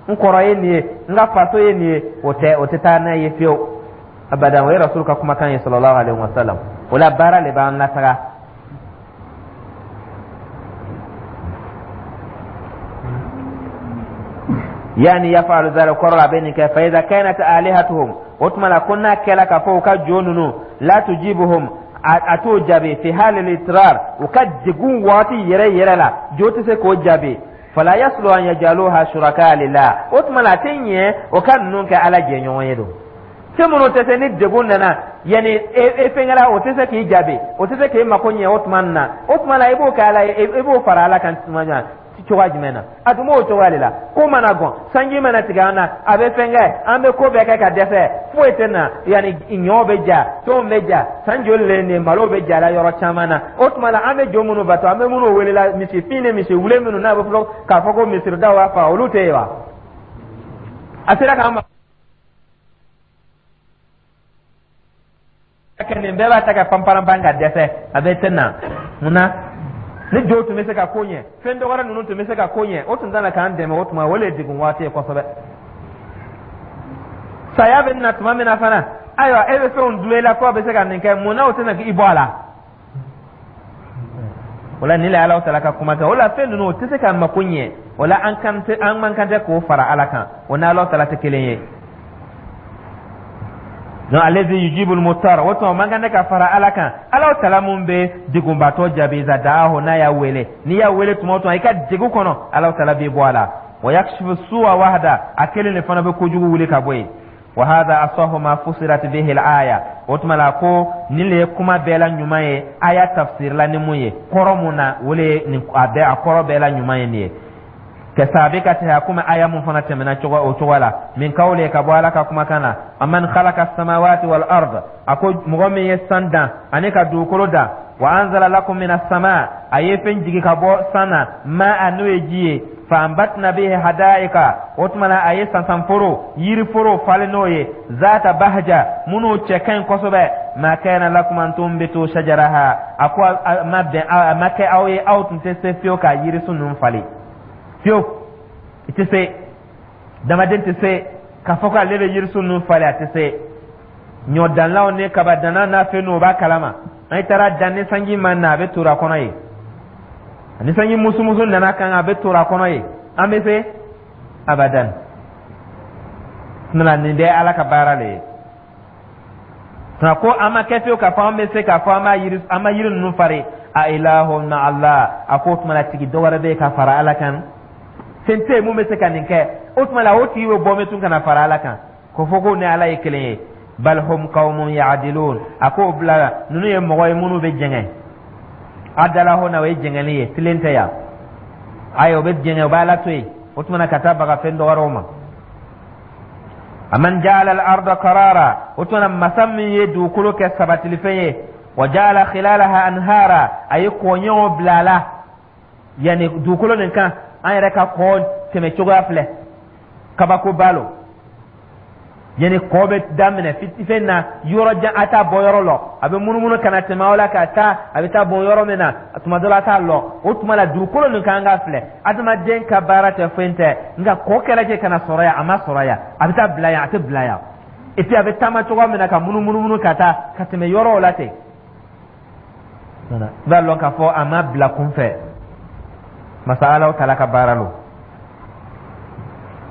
n kɔrɔ ye nin ye, n ka faso ye nin ye, o tɛ, o tɛ taa n'a ye fiyewu abadan. O ye Rasulu ka kumakan ye sallallahu alaihi wasallam. O la, baara le b'an lataga. Yani yafalu zalika, kɔrɔ la a bɛ nin kɛ. Fa iza kanat alihatuhum, o tuma la ko n'a kɛla k'a fɔ u ka jo ninnu la tujibuhum, a t'o jaabi fi halil itrar, u ka degun waati yɛrɛ yɛrɛ la, jo tɛ se k'o jaabi. Fala yaslu an yajaluha shuraka lillah, o tuma la a tɛ ɲɛ o ka ninnu kɛ Ala jɛɲɔgɔn ye. Don fɛn minnu tɛ se, ni degun nana, yanni e fɛnkɛla, o tɛ se k'i jaabi, o tɛ se k'e mako ɲɛ o tuma na, o tuma la i b'o kɛ Ala ye, i b'o fara Ala kan tuma na cogoya jumɛn na? A tun b'o cogoya de la. Ko mana gɔn, sanji mana tigɛ an na, a bɛ fɛn kɛ, an bɛ ko bɛɛ kɛ ka dɛsɛ, foyi tɛ na. Yanni ɲɔ bɛ ja, fɛnw bɛ ja, san joli le nin malo bɛ ja la yɔrɔ caman na. O tuma la, an bɛ jo minnu bato, an bɛ minnu wele la, misi fin ni misi wule minnu n'a bɛ fɔ k'a fɔ ko misiridaw b'a faga, olu tɛ yen wa? A sera k'an ma kɛ nin bɛɛ b'a ta ka panparanpan ka dɛsɛ, a bɛ tɛ na. Mun na? Ni jo tun bɛ se ka ko ɲɛ, fɛn dɔgɔrɛ ninnu tun bɛ se ka ko ɲɛ, o tun tɛna k'an dɛmɛ. O tuma o le ye degun waati ye kosɛbɛ. Saya bɛ na tuma min na fana, ayiwa, e bɛ fɛnw dulon i la k'o bɛ se ka nin kɛ, mun na o tɛna i bɔ a la? O la, nin le Ala taala ka kuma kɛ. O la, fɛn ninnu o tɛ se ka mako ɲɛ. O la, an kan tɛ, an man kan tɛ k'o fara Ala kan. O n'Ala taala tɛ kelen ye. Donc allazi yujibul muttar, o tuma man kan tɛ ka fara Ala kan, Ala taala mun bɛ degunbatɔ jaabi iza da'ahu, n'a y'a wele. N'i y'a wele tuma o tuma i ka degun kɔnɔ, Ala taala b'i bɔ a la. Wa yakshifu su'a wahda, a kelen de fana bɛ kojugu wuli ka bɔ yen. Wa hadha asahu ma fusirat bihi al-aya, o tuma la ko nin le ye kuma bɛɛ la ɲuman ye aya tafsir la ni mun ye, kɔrɔ mun na, o le ye nin a bɛɛ, a kɔrɔ bɛɛ la ɲuman ye nin ye. Ka sabiqatiha, komi aya mun fana tɛmɛna cogo o cogo la, min kawli, ka bɔ Ala ka kumakan na, aman khalaqa samawati wal ard, a ko mɔgɔ min ye san dan ani ka dugukolo dan, wa anzala lakum minas sama, a ye fɛn jigi ka bɔ san na, ma a n'o ye ji ye, fa ambatna bihi hadaika, o tuma na a ye sansanforo, yiriforo falen n'o ye, zata bahja, minnu cɛ ka ɲi kosɛbɛ. Ma kana lakum an tunbitu shajaraha, a ko a ma bɛn, a ma kɛ aw ye, aw tun tɛ se fiyewu ka yirisun ninnu falen fiyewu. I tɛ se, damaden tɛ se k'a fɔ ko ale bɛ yirisun ninnu falen, a tɛ se. Ɲɔdanlaw ni kabadanna n'a fɛn ninnu, o b'a kalama. An taara dan, ni sanji ma na, a bɛ tora kɔnɔ ye. Ni sanji musumusu nana kan, a bɛ tora kɔnɔ ye. An bɛ se abadan nana. Nin bɛɛ Ala ka baara le ye. Nka ko an ma kɛ fiyewu k'a fɔ an bɛ se k'a fɔ an b'a yiri, an ma yiri ninnu fari. A ilahun ma Allah, a ko o tuma la tigi dɔ wɛrɛ bɛ yen ka fara Ala kan? Fɛn tɛ yen mun bɛ se ka nin kɛ. O tuma la, o tigi bɛ bɔ min tun ka na fara Ala kan ko fɔ ko ni Ala ye kelen ye? Bal hum qaumun ya'dilun, a k'o bila, ninnu ye mɔgɔ ye minnu bɛ jɛngɛ. Adala hona, o ye jɛngɛli ye, tilen tɛ yan. Ayi, o bɛ jɛngɛ, o b'a la to yen. O tuma na ka taa baga fɛn dɔgɔrɛw ma. Aman ja'ala al-arda qarara, o tuma na masa min ye dugukolo kɛ sabatilifɛn ye, wa ja'ala khilalaha anhara, a ye kɔɲɔw bila a la, yanni dugukolo nin kan, an yɛrɛ ka kɔ tɛmɛ cogoya filɛ, kabakoba lo. Yanni kɔ bɛ daminɛ fɛn na yɔrɔ jan, a t'a bɔ yɔrɔ lɔ, a bɛ munumunu ka na tɛmɛ aw la ka taa, a bɛ taa bɔn yɔrɔ min na, tuma dɔ la a t'a lɔ. O tuma la, dugukolo nin kan ka filɛ, adamaden ka baara tɛ, foyi tɛ, nka kɔ kɛra kɛ ka na sɔrɔ yan, a ma sɔrɔ yan, a bɛ taa bila yan, a tɛ bila yan. Et puis a bɛ taama cogoya min na ka munumunu ka taa ka tɛmɛ yɔrɔw la ten, i b'a lɔn k'a fɔ a ma bila kunfɛ, masa Alaw taala ka baara lo.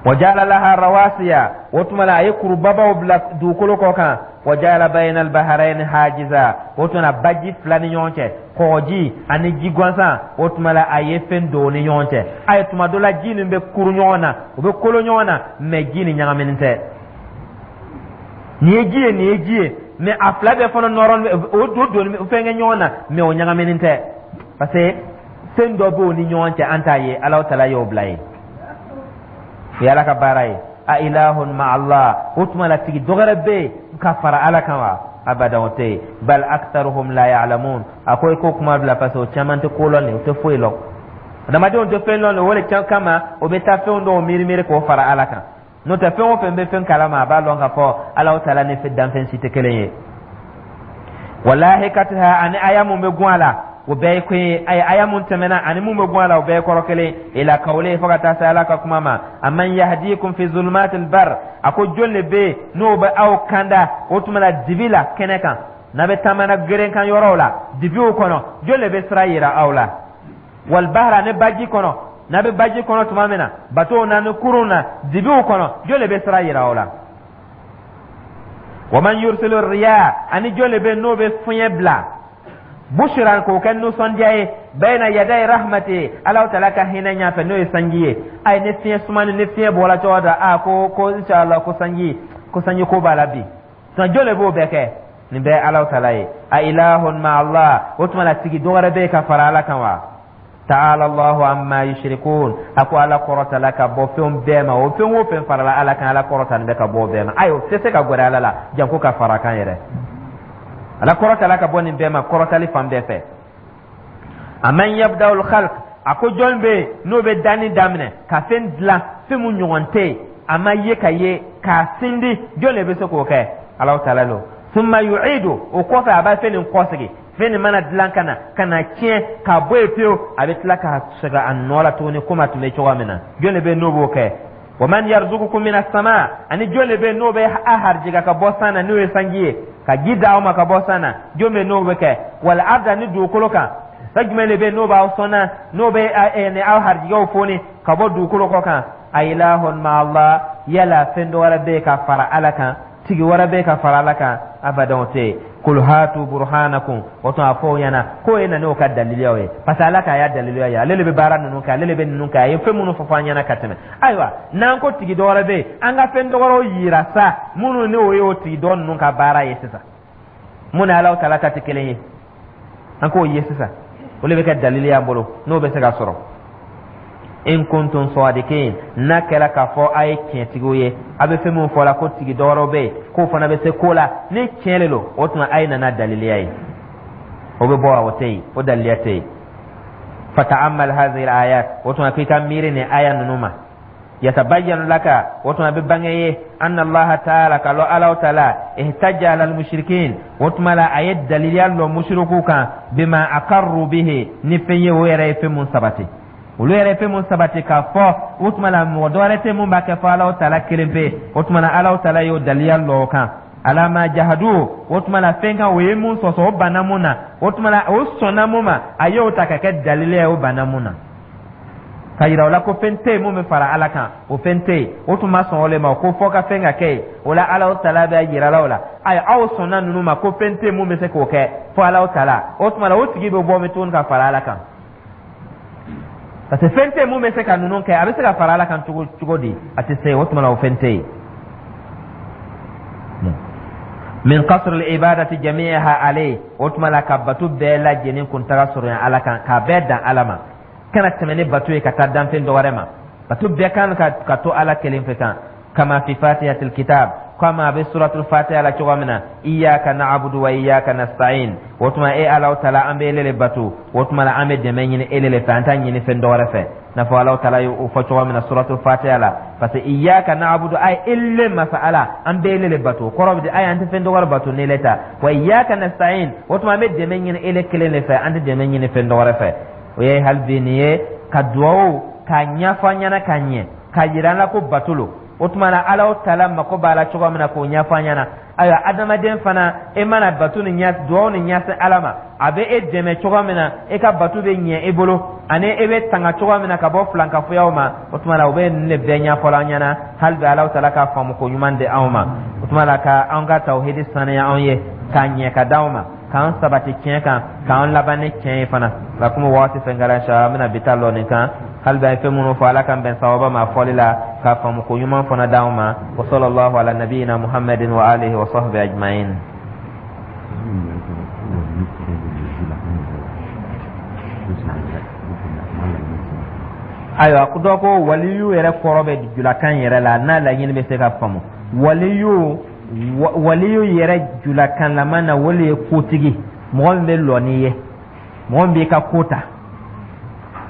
Wa ja'ala laha rawasiya, o tuma la a ye kurubabaw bila dugukolo kɔ kan. Wa ja'ala bayna al-bahrayni hajiza, o tuma la baji fila ni ɲɔgɔn cɛ, kɔgɔji ani ji gansan, o tuma la a ye fɛn don o ni ɲɔgɔn cɛ. A ye tuma dɔ la ji nin bɛ kuru ɲɔgɔn na, u bɛ kolo ɲɔgɔn na, mais ji nin ɲagaminen tɛ. Nin ye ji ye, nin ye ji ye, mais a fila bɛɛ fana nɔrɔ, o don fɛn kɛ ɲɔgɔn na, mais o ɲagaminen tɛ, parce que fɛn dɔ b'o ni ɲɔgɔn cɛ, an t'a ye, Alaw taala y'o bila ye. O ye Ala ka baara ye. A ilahun ma Allah, o tuma la tigi dɔ wɛrɛ bɛ yen ka fara Ala kan wa? Abada, o tɛ yen. Bal aktharuhum la ya'lamun, a ko i k'o kuma bila, parce que o caman tɛ ko lɔn nin, o tɛ foyi lɔn. Adamadenw tɛ fɛn lɔn, o le kama o bɛ taa fɛnw dɔw miiri miiri k'o fara Ala kan. N'o tɛ, fɛn o fɛn bɛ fɛn kalama, a b'a lɔn k'a fɔ Alahu Taala ni danfɛn si tɛ kelen ye. Walahikatiha, ani aya mun bɛ gun a la, o bɛɛ ye ko ye. Aya mun tɛmɛna ani mun bɛ gun a la, o bɛɛ ye kɔrɔ kelen. Ila kawle, fo ka taa se Ala ka kuma ma: amman yahdikum fi zulumatil bar. A ko jɔn de bɛ yen n'o bɛ aw kanda o tuma la dibi la kɛnɛ kan, n'a bɛ taamana geren kan yɔrɔw la, dibiw kɔnɔ, jɔn de bɛ sira yira aw la? Walbahra, ni baji kɔnɔ, n'a bɛ baji kɔnɔ tuma min na, bateau na ni kurun na, dibiw kɔnɔ, jɔn de bɛ sira yira aw la? Wa man yursilu riya, ani jɔn de bɛ n'o bɛ fiɲɛ bila bushiran, k'o kɛ nisɔndiya ye, bayna yaday rahmati, Alahu Taala ka hinɛ ɲɛfɛ, n'o ye sanji ye? Ayi, ni fiɲɛ sumani, ni fiɲɛ bɔra cogo dɔ, a ko inshallah ko sanji ko b'a la bi. Tuma jɔn de b'o bɛɛ kɛ? Nin bɛɛ Alahu Taala ye. A ilahun ma Allah? O tuma la, tigi dɔ wɛrɛ bɛ yen ka fara Ala kan wa? Ta'ala Allahu amma yushrikun. A ko Ala kɔrɔtala ka bɔ fɛn bɛɛ ma. O fɛn o fɛn farala Ala kan, Ala kɔrɔtalen bɛ ka bɔ o bɛɛ ma. Ayi, o tɛ se ka gɛrɛ Ala la janko ka fara kan yɛrɛ. Ala kɔrɔtala ka bɔ nin bɛɛ ma, kɔrɔtali fan bɛɛ fɛ. Aman yabda'ul khalq, a ko jɔn bɛ yen n'o bɛ danni daminɛ, ka fɛn dilan, fɛn mun ɲɔgɔn tɛ yen, a ma ye ka ye k'a sindi, jɔn de bɛ se k'o kɛ? Alahu Taala lo. Summa yu'idu, o kɔfɛ a b'a fɛn nin kɔsegin. Fɛn nin mana dilan ka na tiɲɛ ka bɔ yen pewu, a bɛ tila ka segin a nɔ la tuguni komi a tun bɛ cogoya min na. Jɔn de bɛ yen n'o b'o kɛ? Wa man yarzuqukum mina sama, ani jɔn de bɛ yen n'o bɛ a harijigɛ ka bɔ san na, n'o ye sanji ye, ka ji d'aw ma ka bɔ san na, jɔn bɛ yen n'o bɛ kɛ? Wal arda, ni dugukolo kan, fɛn jumɛn de bɛ yen n'o b'aw sɔnna, n'o bɛ ni aw harijigɛw foni ka bɔ dugukolo kɔ kan? A ilahun ma Allah? Yala fɛn dɔ wɛrɛ bɛ yen ka fara Ala kan? Tigi wɛrɛ bɛ ka fara Ala kan? Abadan, o tɛ yen. Kul hatu burhanakum. O tuma, a fɔ o ɲɛna k'o ye na n'o ka daliliyaw ye, parce que Ala k'a y'a daliliya ye, ale de bɛ baara ninnu kɛ, ale de bɛ ninnu kɛ, a ye fɛn minnu fɔ an ɲɛna ka tɛmɛ. Ayiwa, n'an ko tigi dɔ wɛrɛ bɛ yen, an ka fɛn dɔ wɛrɛw yira sa, minnu ni o ye o tigi dɔ ninnu ka baara ye sisan, mun ni Alahu Taala ta tɛ kelen ye, an k'o ye sisan, o de bɛ kɛ dalili y'an bolo, n'o bɛ se ka sɔrɔ. In kuntum sadiqin, n'a kɛra k'a fɔ a ye tiɲɛtigiw ye, a bɛ fɛn min fɔ la ko tigi dɔwɛrɛw bɛ yen k'o fana bɛ se ko la, ni tiɲɛ de don, o tuma a ye nana daliliya ye, o bɛ bɔ, o tɛ yen, o daliliya tɛ yen. Fata'ammal hadhihi al-ayat, o tuma k'i ka miiri nin aya ninnu ma. Yatabayyanu laka, o tuma bɛ bange ye, anna Allaha ta'ala, ka lɔ Alahu Taala, ihtajja ala al-mushrikin, o tuma la a ye daliliya lɔ mushriku kan, bima aqarru bihi, ni fɛn ye o yɛrɛ ye fɛn mun sabati, olu yɛrɛ ye fɛn mun sabati k'a fɔ o tuma la mɔgɔ dɔ wɛrɛ tɛ mun b'a kɛ fɔ Alahu Taala kelen pe. O tuma la Alahu Taala y'o daliya lɔ o kan. Ala ma jahadu, o tuma la fɛn kan o ye mun sɔsɔ, o banna mun na, o tuma la o sɔnna mun ma, a y'o ta ka kɛ dalili ye o banna mun na, ka yira o la ko fɛn tɛ yen mun bɛ fara Ala kan, o fɛn tɛ yen. O tun ma sɔn o le ma ko fɔ ka fɛn ka kɛ yen. O la Alahu Taala bɛ yira la o la: ayi, aw sɔnna ninnu ma ko fɛn tɛ yen mun bɛ se k'o kɛ fo Alahu Taala. O tuma la o tigi bɛ bɔ min tuguni ka fara Ala kan? Parce que fɛn tɛ yen mun bɛ se ka ninnu kɛ, a bɛ se ka fara Ala kan cogo cogo di? A tɛ se. O tuma la o fɛn tɛ yen. Min qasr al-ibadati jami'aha alayhi, o tuma la ka bato bɛɛ lajɛlen kuntaga sɔrɔ Ala kan, k'a bɛɛ dan Ala ma, kana tɛmɛ ni bato ye ka taa danfɛn dɔ wɛrɛ ma. Bato bɛɛ kan ka to Ala kelen fɛ kan. Kama fi fatihatil kitab, kama a bɛ suratul fatiha la cogo min na: iyyaka na'budu wa iyyaka nasta'in. O tuma e Alahu Taala, an bɛ ele le bato, o tuma la an bɛ dɛmɛ ɲini ele le fɛ, an t'a ɲini fɛn dɔ wɛrɛ fɛ, n'a fɔ Alahu Taala ye o fɔ cogo min na suratul fatiha la. Parce que iyyaka na'budu, ay ele masa Ala, an bɛ ele le bato, kɔrɔ bɛ di ay an tɛ fɛn dɔ wɛrɛ bato n'ele ta. Wa iyyaka nasta'in, o tuma an bɛ dɛmɛ ɲini ele kelen de fɛ, an tɛ dɛmɛ ɲini fɛn dɔ wɛrɛ fɛ. O ye hali bi nin ye ka duwawu k'a ɲɛfɔ an ɲɛna ka ɲɛ, k'a yira an la ko bato lo. O tuma na Alahu Taala mako b'a la cogo min na, k'o ɲɛfɔ an ɲɛna. Ayiwa, adamaden fana, e mana bato ni ɲɛ, duwawu ni ɲɛsin Ala ma, a bɛ e dɛmɛ cogo min na, e ka bato bɛ ɲɛ e bolo, ani e bɛ tanga cogo min na ka bɔ filankafoyaw ma, o tuma na o bɛ nin de bɛɛ ɲɛfɔla an ɲɛna. Hali bi Alahu Taala ka faamu ko ɲuman di anw ma. O tuma na ka an ka tawhidi saniya anw ye, k'a ɲɛ ka d'anw ma, k'an sabati tiɲɛ kan, k'an laban ni tiɲɛ ye fana. Nka komi waati fɛn kɛra, inshallah an bɛna bi ta lɔ nin kan. Hali bi an ye fɛn minnu fɔ, Ala k'an bɛn sawaba ma fɔli la, k'a faamu ko ɲuman fana d'anw ma. Wa sallallahu ala nabiyina Muhammadin wa alihi wa sahbihi ajma'in. Ayiwa, dɔ ko waliyu yɛrɛ kɔrɔ bɛ julakan yɛrɛ la, n'a laɲini bɛ se ka faamu. Waliyu yɛrɛ julakanlama na, o le ye kotigi, mɔgɔ min bɛ lɔ n'i ye, mɔgɔ min b'i ka ko ta.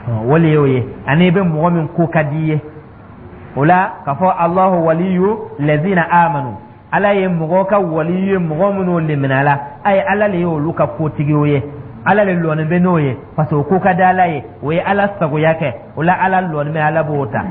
O le y'o ye. Ani i bɛ mɔgɔ min ko ka di i ye, o la k'a fɔ Allahu waliyu lazina amanu, Ala ye mɔgɔ ka waliyu ye, mɔgɔ minnu liminala a ye, Ala le ye olu ka kotigiw ye, Ala le lɔnin bɛ n'o ye, parce que o ko ka di Ala ye, o ye Ala sagoya kɛ. O la Ala lɔnin bɛ, Ala b'o ta.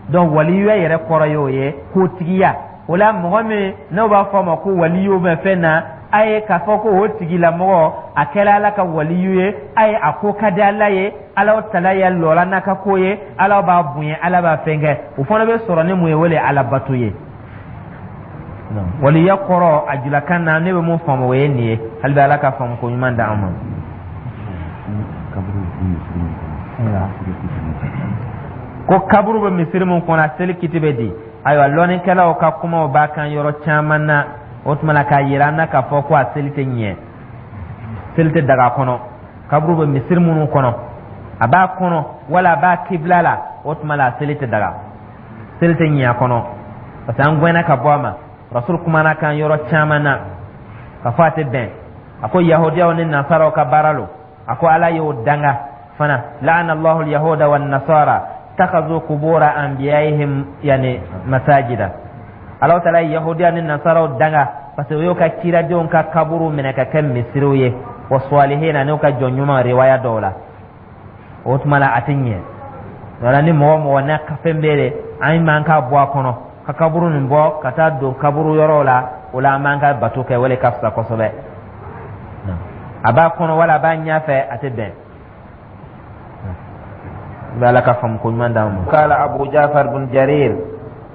Donc waliyuya yɛrɛ kɔrɔ y'o ye, kotigiya. O la mɔgɔ min n'o b'a fɔ a ma ko waliyu bɛ fɛn na, a ye k'a fɔ ko o tigilamɔgɔ a kɛra Ala ka waliyu ye, a ye a ko ka di Ala ye, Ala tala ya lɔla n'a ka ko ye, Ala b'a bonya, Ala b'a fɛn kɛ. O fana bɛ sɔrɔ ni mun ye? O le ye Ala bato ye. Waliya kɔrɔ a julakan na, ne bɛ mun faamu, o ye nin ye. Hali bi Ala ka faamu ko ɲuman d'an ma. Ko kaburu bɛ misiri mun kɔnɔ, a seli kiti bɛ di? Ayiwa, lɔnnikɛlaw ka kumaw b'a kan yɔrɔ caman na. O tuma na k'a yira an na k'a fɔ ko a seli tɛ ɲɛ, seli tɛ daga kɔnɔ. Kaburu bɛ misiri minnu kɔnɔ, a b'a kɔnɔ wala a b'a kibila la, o tuma la a seli tɛ daga, seli tɛ ɲɛ a kɔnɔ, parce que an gɛnna ka bɔ a ma. Rasul kumana kan yɔrɔ caman na k'a fɔ a tɛ bɛn. A ko yahudiyaw ni nasaraw ka baara lo. A ko Ala y'o danga fana: la'ana Allahu al-yahuda wan nasara takhazu qubura anbiya'ihim yani masajida. Ala taala ye yahudiya ni nasaraw danga parce que o y'o ka kiradenw ka kaburu minɛ ka kɛ misiriw ye, wa salihina, n'o ka jɔn ɲuman, riwaya dɔw la. O tuma la a tɛ ɲɛ wala ni mɔgɔ mɔgɔ n'a ka fɛn bɛɛ de, an man ka bɔ a kɔnɔ ka kaburu nin bɔ ka taa don kaburu yɔrɔw la. O la an b'an ka bato kɛ, o le ka fisa kosɛbɛ. A b'a kɔnɔ wala a b'a ɲɛfɛ, a tɛ bɛn. Bɛ Ala ka faamu ko ɲuman d'an ma. Kala Abu Jafar bin Jarir: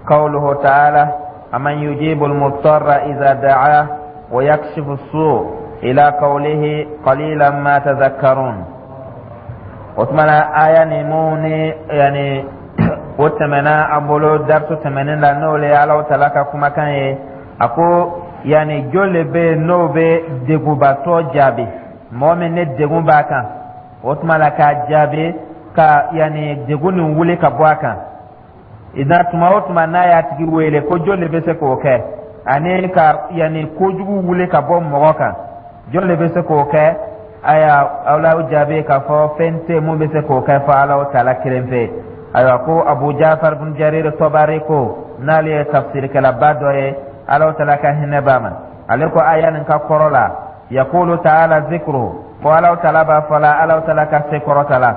qawluhu ta'ala aman yujibu al-muttarra idha da'a wa yakshifu as-su' ila qawlihi qalilan ma tadhakkarun. O tuma na aya ni mun ni yani o tɛmɛna an bolo darisu tɛmɛnen la, n'o le ye Alahu taala ka kumakan ye. A ko yani jɔn le bɛ yen n'o bɛ degunbatɔ jaabi, mɔgɔ min ni degun b'a kan, o tuma la k'a jaabi ka yani degun nin wuli ka bɔ a kan na tuma o tuma n'a y'a tigi wele, ko jɔn de bɛ se k'o kɛ? Ani ka yani kojugu wuli ka bɔ mɔgɔ kan, jɔn de bɛ se k'o kɛ? Aya, aw la jaabi k'a fɔ fɛn tɛ mun bɛ se k'o kɛ fɔ Ala taala kelen fɛ. Ayiwa, ko Abu Jafar bin Jarir Tɔbari, ko n'ale ye tafsirikɛlaba dɔ ye, Ala taala ka hinɛ b'a ma, ale ko aya nin ka kɔrɔ la: yakulu taala zikru, ko Ala taala b'a fɔ la, Ala taala ka se kɔrɔta la: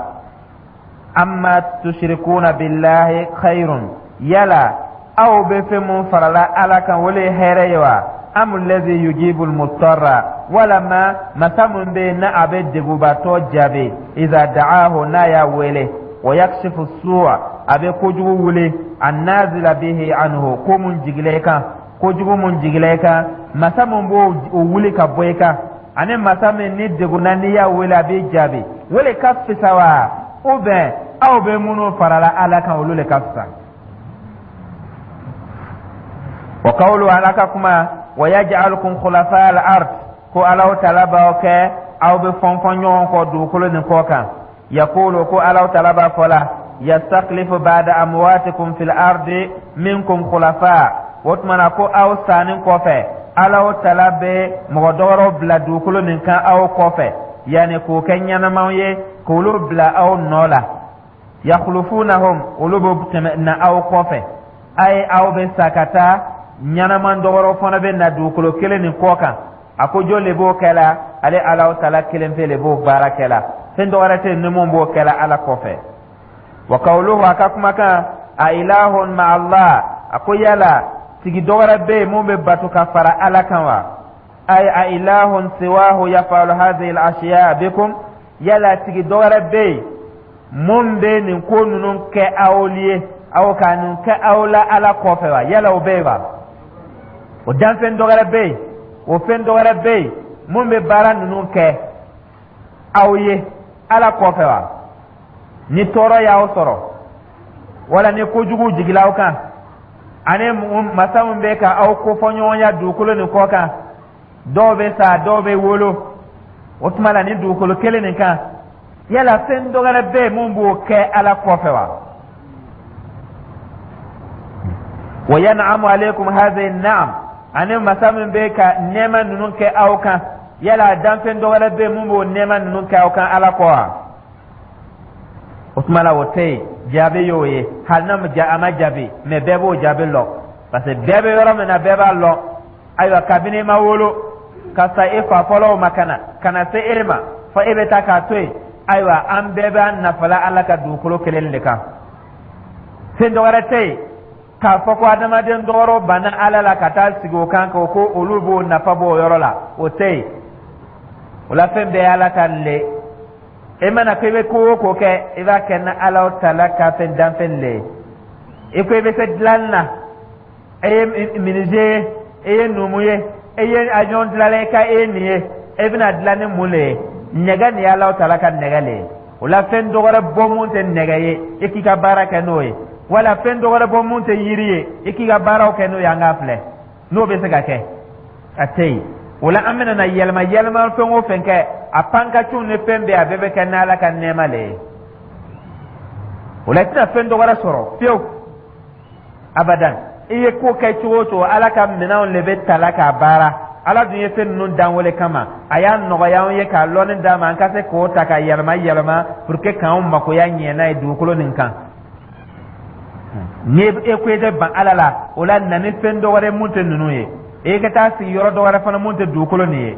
amma tushrikuna billahi khairun, yala aw bɛ fɛn mun farala Ala kan, o le ye hɛrɛ ye wa? Am allazi yujibu almutarra, walama masa mun bɛ yen n'a a bɛ degubatɔ jaabi, iza da'ahu, n'a y'a wele, wa yakshifu su'a, a bɛ kojugu wuli, annazila bihi anhu, ko mun jigila i kan, kojugu mun jigila i kan, masa mun b'o wuli ka bɔ i kan, ani masa min ni degunna n'i y'a wele a b'i jaabi, o le ka fisa wa, ou bien aw bɛ minnu farala Ala kan, olu le ka fisa? Wa qawlu, Ala ka kuma, wa yaj'alukum khulafa al-ard, ko Alaw taala b'aw kɛ aw bɛ fɔnfɔn ɲɔgɔn kɔ dugukolo nin kɔ kan. Yakulu, ko Alaw taala b'a fɔ la: yastakhlifu ba'da amwatikum fil ardi minkum khulafa. O tuma na ko aw sanni kɔfɛ, Alaw taala bɛ mɔgɔ dɔwɛrɛw bila dugukolo nin kan aw kɔfɛ, yanni k'o kɛ ɲɛnamaw ye, k'olu bila aw nɔ la. Yakhlufunahum, olu bɛ tɛmɛ na aw kɔfɛ. A ye aw bɛ sa ka taa, ɲɛnaman dɔwɛrɛw fana bɛ na dugukolo kelen nin kɔ kan. A ko jɔn de b'o kɛ la? Ale Alaw taala kelen pe de b'o baara kɛ la, fɛn dɔwɛrɛ tɛ yen ni mun b'o kɛ la Ala kɔfɛ. Wa kawuluhu, a ka kumakan, a ilahun ma Allah, a ko yala tigi dɔwɛrɛ bɛ yen mun bɛ bato ka fara Ala kan wa? Ay a ilahun siwahu yafalu hadhihi al-ashiya bikum, yala tigi dɔwɛrɛ bɛ yen mun bɛ nin ko ninnu kɛ aw ye, aw ka nin kɛ aw la Ala kɔfɛ wa? Yala o bɛ yen wa? O danfɛn dɔwɛrɛ bɛ yen, o fɛn dɔwɛrɛ bɛ yen mun bɛ baara ninnu kɛ aw ye Ala kɔfɛ wa? Ni tɔɔrɔ y'aw sɔrɔ wala ni kojugu jigila aw kan, ani masa min bɛ ka aw kofɔɲɔgɔnya dugukolo nin kɔ kan, dɔw bɛ sa, dɔw bɛ wolo, o tuma la ni dugukolo kelen nin kan, yala fɛn dɔ wɛrɛ bɛ yen mun b'o kɛ Ala kɔfɛ wa? Wa yan'amu alaykum hadhihi na'am, ani masa min bɛ ka nɛɛma ninnu kɛ aw kan, yala danfɛn dɔ wɛrɛ bɛ yen mun b'o nɛɛma ninnu kɛ aw kan Ala kɔ wa? O tuma la, o tɛ yen. Jaabi y'o ye, hali n'a ma a ma jaabi, mais bɛɛ b'o jaabi lɔn, parce que bɛɛ bɛ yɔrɔ min na, bɛɛ b'a lɔn. Ayiwa, kabini i ma wolo ka sa e fa fɔlɔw ma, ka na ka na se e ma fɔ e bɛ taa k'a to yen. Ayiwa, an bɛɛ b'an nafala Ala ka dugukolo kelen de kan. Fɛn dɔwɛrɛ tɛ yen k'a fɔ ko adamaden dɔgɔrɔ banna Ala la ka taa sigi o kan ko olu b'o nafa bɔ o yɔrɔ la, o tɛ yen. O la, fɛn bɛɛ ye Ala ka le. E mana ko i bɛ ko o ko kɛ, i b'a kɛ ni Ala tala ka fɛn danfɛn le ye. I ko i bɛ se dilanni na, e ye menuisier ye, e ye numu ye, e ye avion dilanna, i ka e ye nin ye, e bɛna dilan ni mun le ye? Nɛgɛ nin ye Ala tala ka nɛgɛ le ye. O la, fɛn dɔwɛrɛ bɔ mun tɛ nɛgɛ ye, i k'i ka baara kɛ n'o ye, wala fɛn dɔwɛrɛ bɔ mun tɛ yiri ye, i k'i ka baaraw kɛ n'o ye. An k'a filɛ n'o bɛ se ka kɛ, a tɛ yen. O la, an bɛna na yɛlɛma yɛlɛma, fɛn o fɛn kɛ, a pankaciw ni fɛn bɛɛ, a bɛɛ bɛ kɛ n'Ala ka nɛɛma le ye. O la, i tɛna fɛn dɔwɛrɛ sɔrɔ fiyewu, abadan. I ye ko kɛ cogo o cogo, Ala ka minɛnw de bɛ tala k'a baara. Ala dun ye fɛn ninnu dan wele kama, a y'a nɔgɔya anw ye k'a lɔnni d'an ma, an ka se k'o ta ka yɛlɛma yɛlɛma pour que k'anw makoya ɲɛ n'a ye dugukolo nin kan. Ni e ko i tɛ ban Ala la, o la, na ni fɛn dɔwɛrɛ mun tɛ ninnu ye, e ka taa sigi yɔrɔ dɔwɛrɛ fana mun tɛ dugukolo nin ye.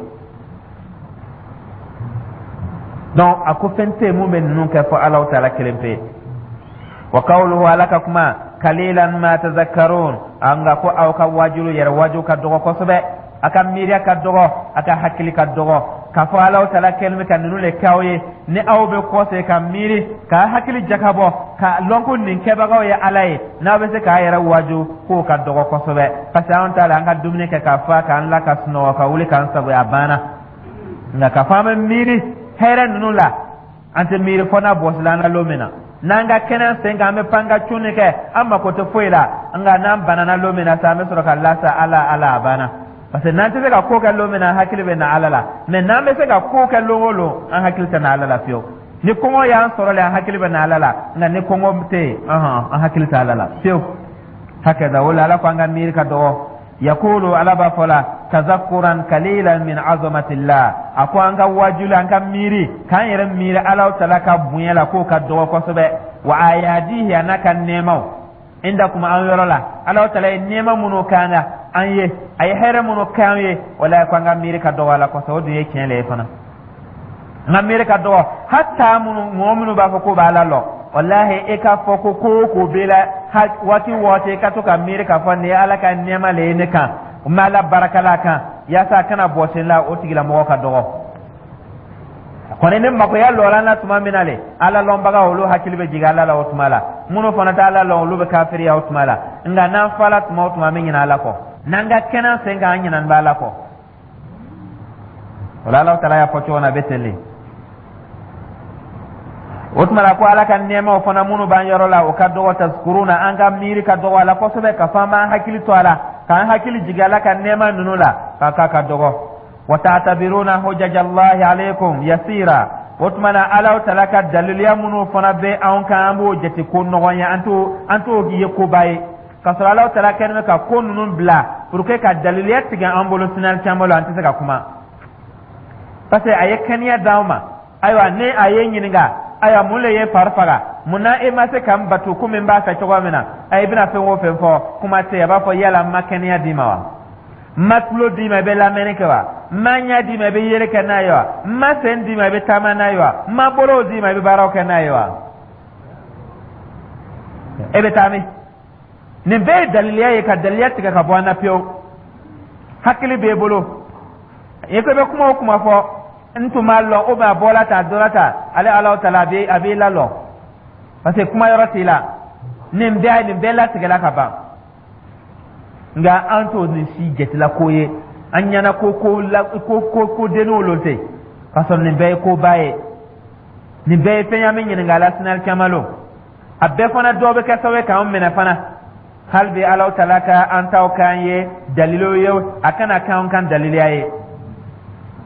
Donc a ko fɛn tɛ yen mun bɛ ninnu kɛ fɔ Ala taala kelen pe. Wa kawuluhu, Ala ka kuma, kalilan ma tazakkarun, an ka ko aw ka waajulu yɛrɛ waaju ka dɔgɔ kosɛbɛ, a ka miiriya ka dɔgɔ, a ka hakili ka dɔgɔ, k'a fɔ Ala taala kɛlen bɛ ka ninnu le kɛ aw ye. Ni aw bɛ kɔsegin ka miiri, ka hakili jakabɔ, ka lɔn ko nin kɛbagaw ye Ala ye, n'aw bɛ se k'a yɛrɛ waaju, k'o ka dɔgɔ kosɛbɛ, parce que anw t'a la, an ka dumuni kɛ ka fa, k'an la ka sunɔgɔ, ka wuli k'an sagoya, a banna. Nka k'a fɔ an bɛ miiri hɛrɛ ninnu la, an tɛ miiri fɔ n'a bɔsila an la lon min na. N'an ka kɛnɛ sen kan, an bɛ pan ka cunni kɛ, an mako tɛ foyi la. Nka n'an banana lon min na sa, an bɛ sɔrɔ ka lasa Ala, Ala, a banna. Parce que n'an tɛ se ka ko kɛ lon min na, an hakili bɛ na Ala la. Mais n'an bɛ se ka ko kɛ lon o lon, an hakili tɛ na Ala la fiyewu. Ni kɔngɔ y'an sɔrɔ le, an hakili bɛ na Ala la. Nka ni kɔngɔ tɛ yen, an hakili tɛ Ala la fiyewu. Hakɛda o la, Ala ko an ka miiri ka dɔgɔ. Yakulu, Ala b'a fɔ la, tazakkuran kalilan min azamatillah, a ko an ka wajuli, an ka miiri, k'an yɛrɛ miiri Ala tala ka bonya la, k'o ka dɔgɔ kosɛbɛ. Wa ayadihi, a n'a ka nɛɛmaw, indakum, an yɔrɔ la, Ala tala ye nɛɛma minnu k'an na an ye, a ye hɛrɛ minnu k'an ye, wala ko an ka miiri ka dɔgɔ a la kosɛbɛ. O dun ye tiɲɛ le ye fana, an ka miiri ka dɔgɔ. Hatta minnu, mɔgɔ minnu b'a fɔ k'o b'Ala lɔn, walahi, e k'a fɔ ko ko o ko b'e la, waati o waati e ka to ka miiri k'a fɔ nin ye Ala ka nɛɛma le ye ne kan, n bɛ Ala barakala a kan yaasa a kana bɔsi n la, o tigilamɔgɔ ka dɔgɔ kɔni. Ni makoya lɔra an na tuma min na le, Ala lɔnbaga olu hakili bɛ jigin Ala la o tuma la. Minnu fana tɛ Ala lɔn, olu bɛ kafiriya o tuma la. Nka n'an fala tuma o tuma, an bɛ ɲinɛ Ala kɔ. N'an ka kɛnɛ sen kan, an ɲinɛn bɛ Ala kɔ. O la, Ala taala y'a fɔ cogo min na, a bɛ ten de. O tuma la, ko Ala ka nɛɛmaw fana minnu b'an yɔrɔ la, o ka dɔgɔ. Tazkuruna, an ka miiri ka dɔgɔ a la kosɛbɛ, ka fɔ an b'an hakili to a la, k'an hakili jigin Ala ka nɛɛma ninnu la, k'a k'a ka dɔgɔ. Wa ta'tabiruna hujajallahi alaykum yasira, o tuma na, Ala taala ka daliluya minnu fana bɛ anw kan, an b'o jate ko nɔgɔn ye, an t'o ye koba ye, k'a sɔrɔ Ala taala kɛlen bɛ ka ko ninnu bila pour que ka daliluya tigɛ an bolo sinali caman la, an tɛ se ka kuma, parce que a ye kɛnɛya d'anw ma. Ayiwa, ni a ye ɲininka, ayiwa, mun le ye fari faga? Mun na e ma se ka n batu komi n b'a fɛ cogo min na? A i bɛna fɛn o fɛn fɔ, kuma tɛ yen. A b'a fɔ, yala n ma kɛnɛya d'i ma wa? N ma tulo d'i ma, i bɛ lamɛnni kɛ wa? N ma ɲɛ d'i ma, i bɛ yeli kɛ n'a ye wa? N ma sen d'i ma, i bɛ taama n'a ye wa? N ma bolow d'i ma, i bɛ baaraw kɛ n'a ye wa? E bɛ taa min? Nin bɛɛ ye daliliya ye ka daliliya tigɛ ka bɔ an na pewu. Hakili b'e bolo, i ko i bɛ kuma o kuma fɔ, n tun b'a lɔn o a bɔla tan, a donna tan. Ale Ala taala a b'i lalɔ, parce que kuma yɔrɔ t'i la. Nin bɛɛ latigɛla ka ban. Nka an t'o nin si jatela ko ye, an ɲɛna ko ko la ko ko ko denninw lo tɛ, k'a sɔrɔ nin bɛɛ ye koba ye, nin bɛɛ ye fɛn ye an bɛ ɲininka a la sinali caman lo. A bɛɛ fana dɔw bɛ kɛ sababu ye k'an minɛ fana. Hali bi, Ala taala ka an taw k'an ye dalilu ye, a kana k'an kan daliliya ye.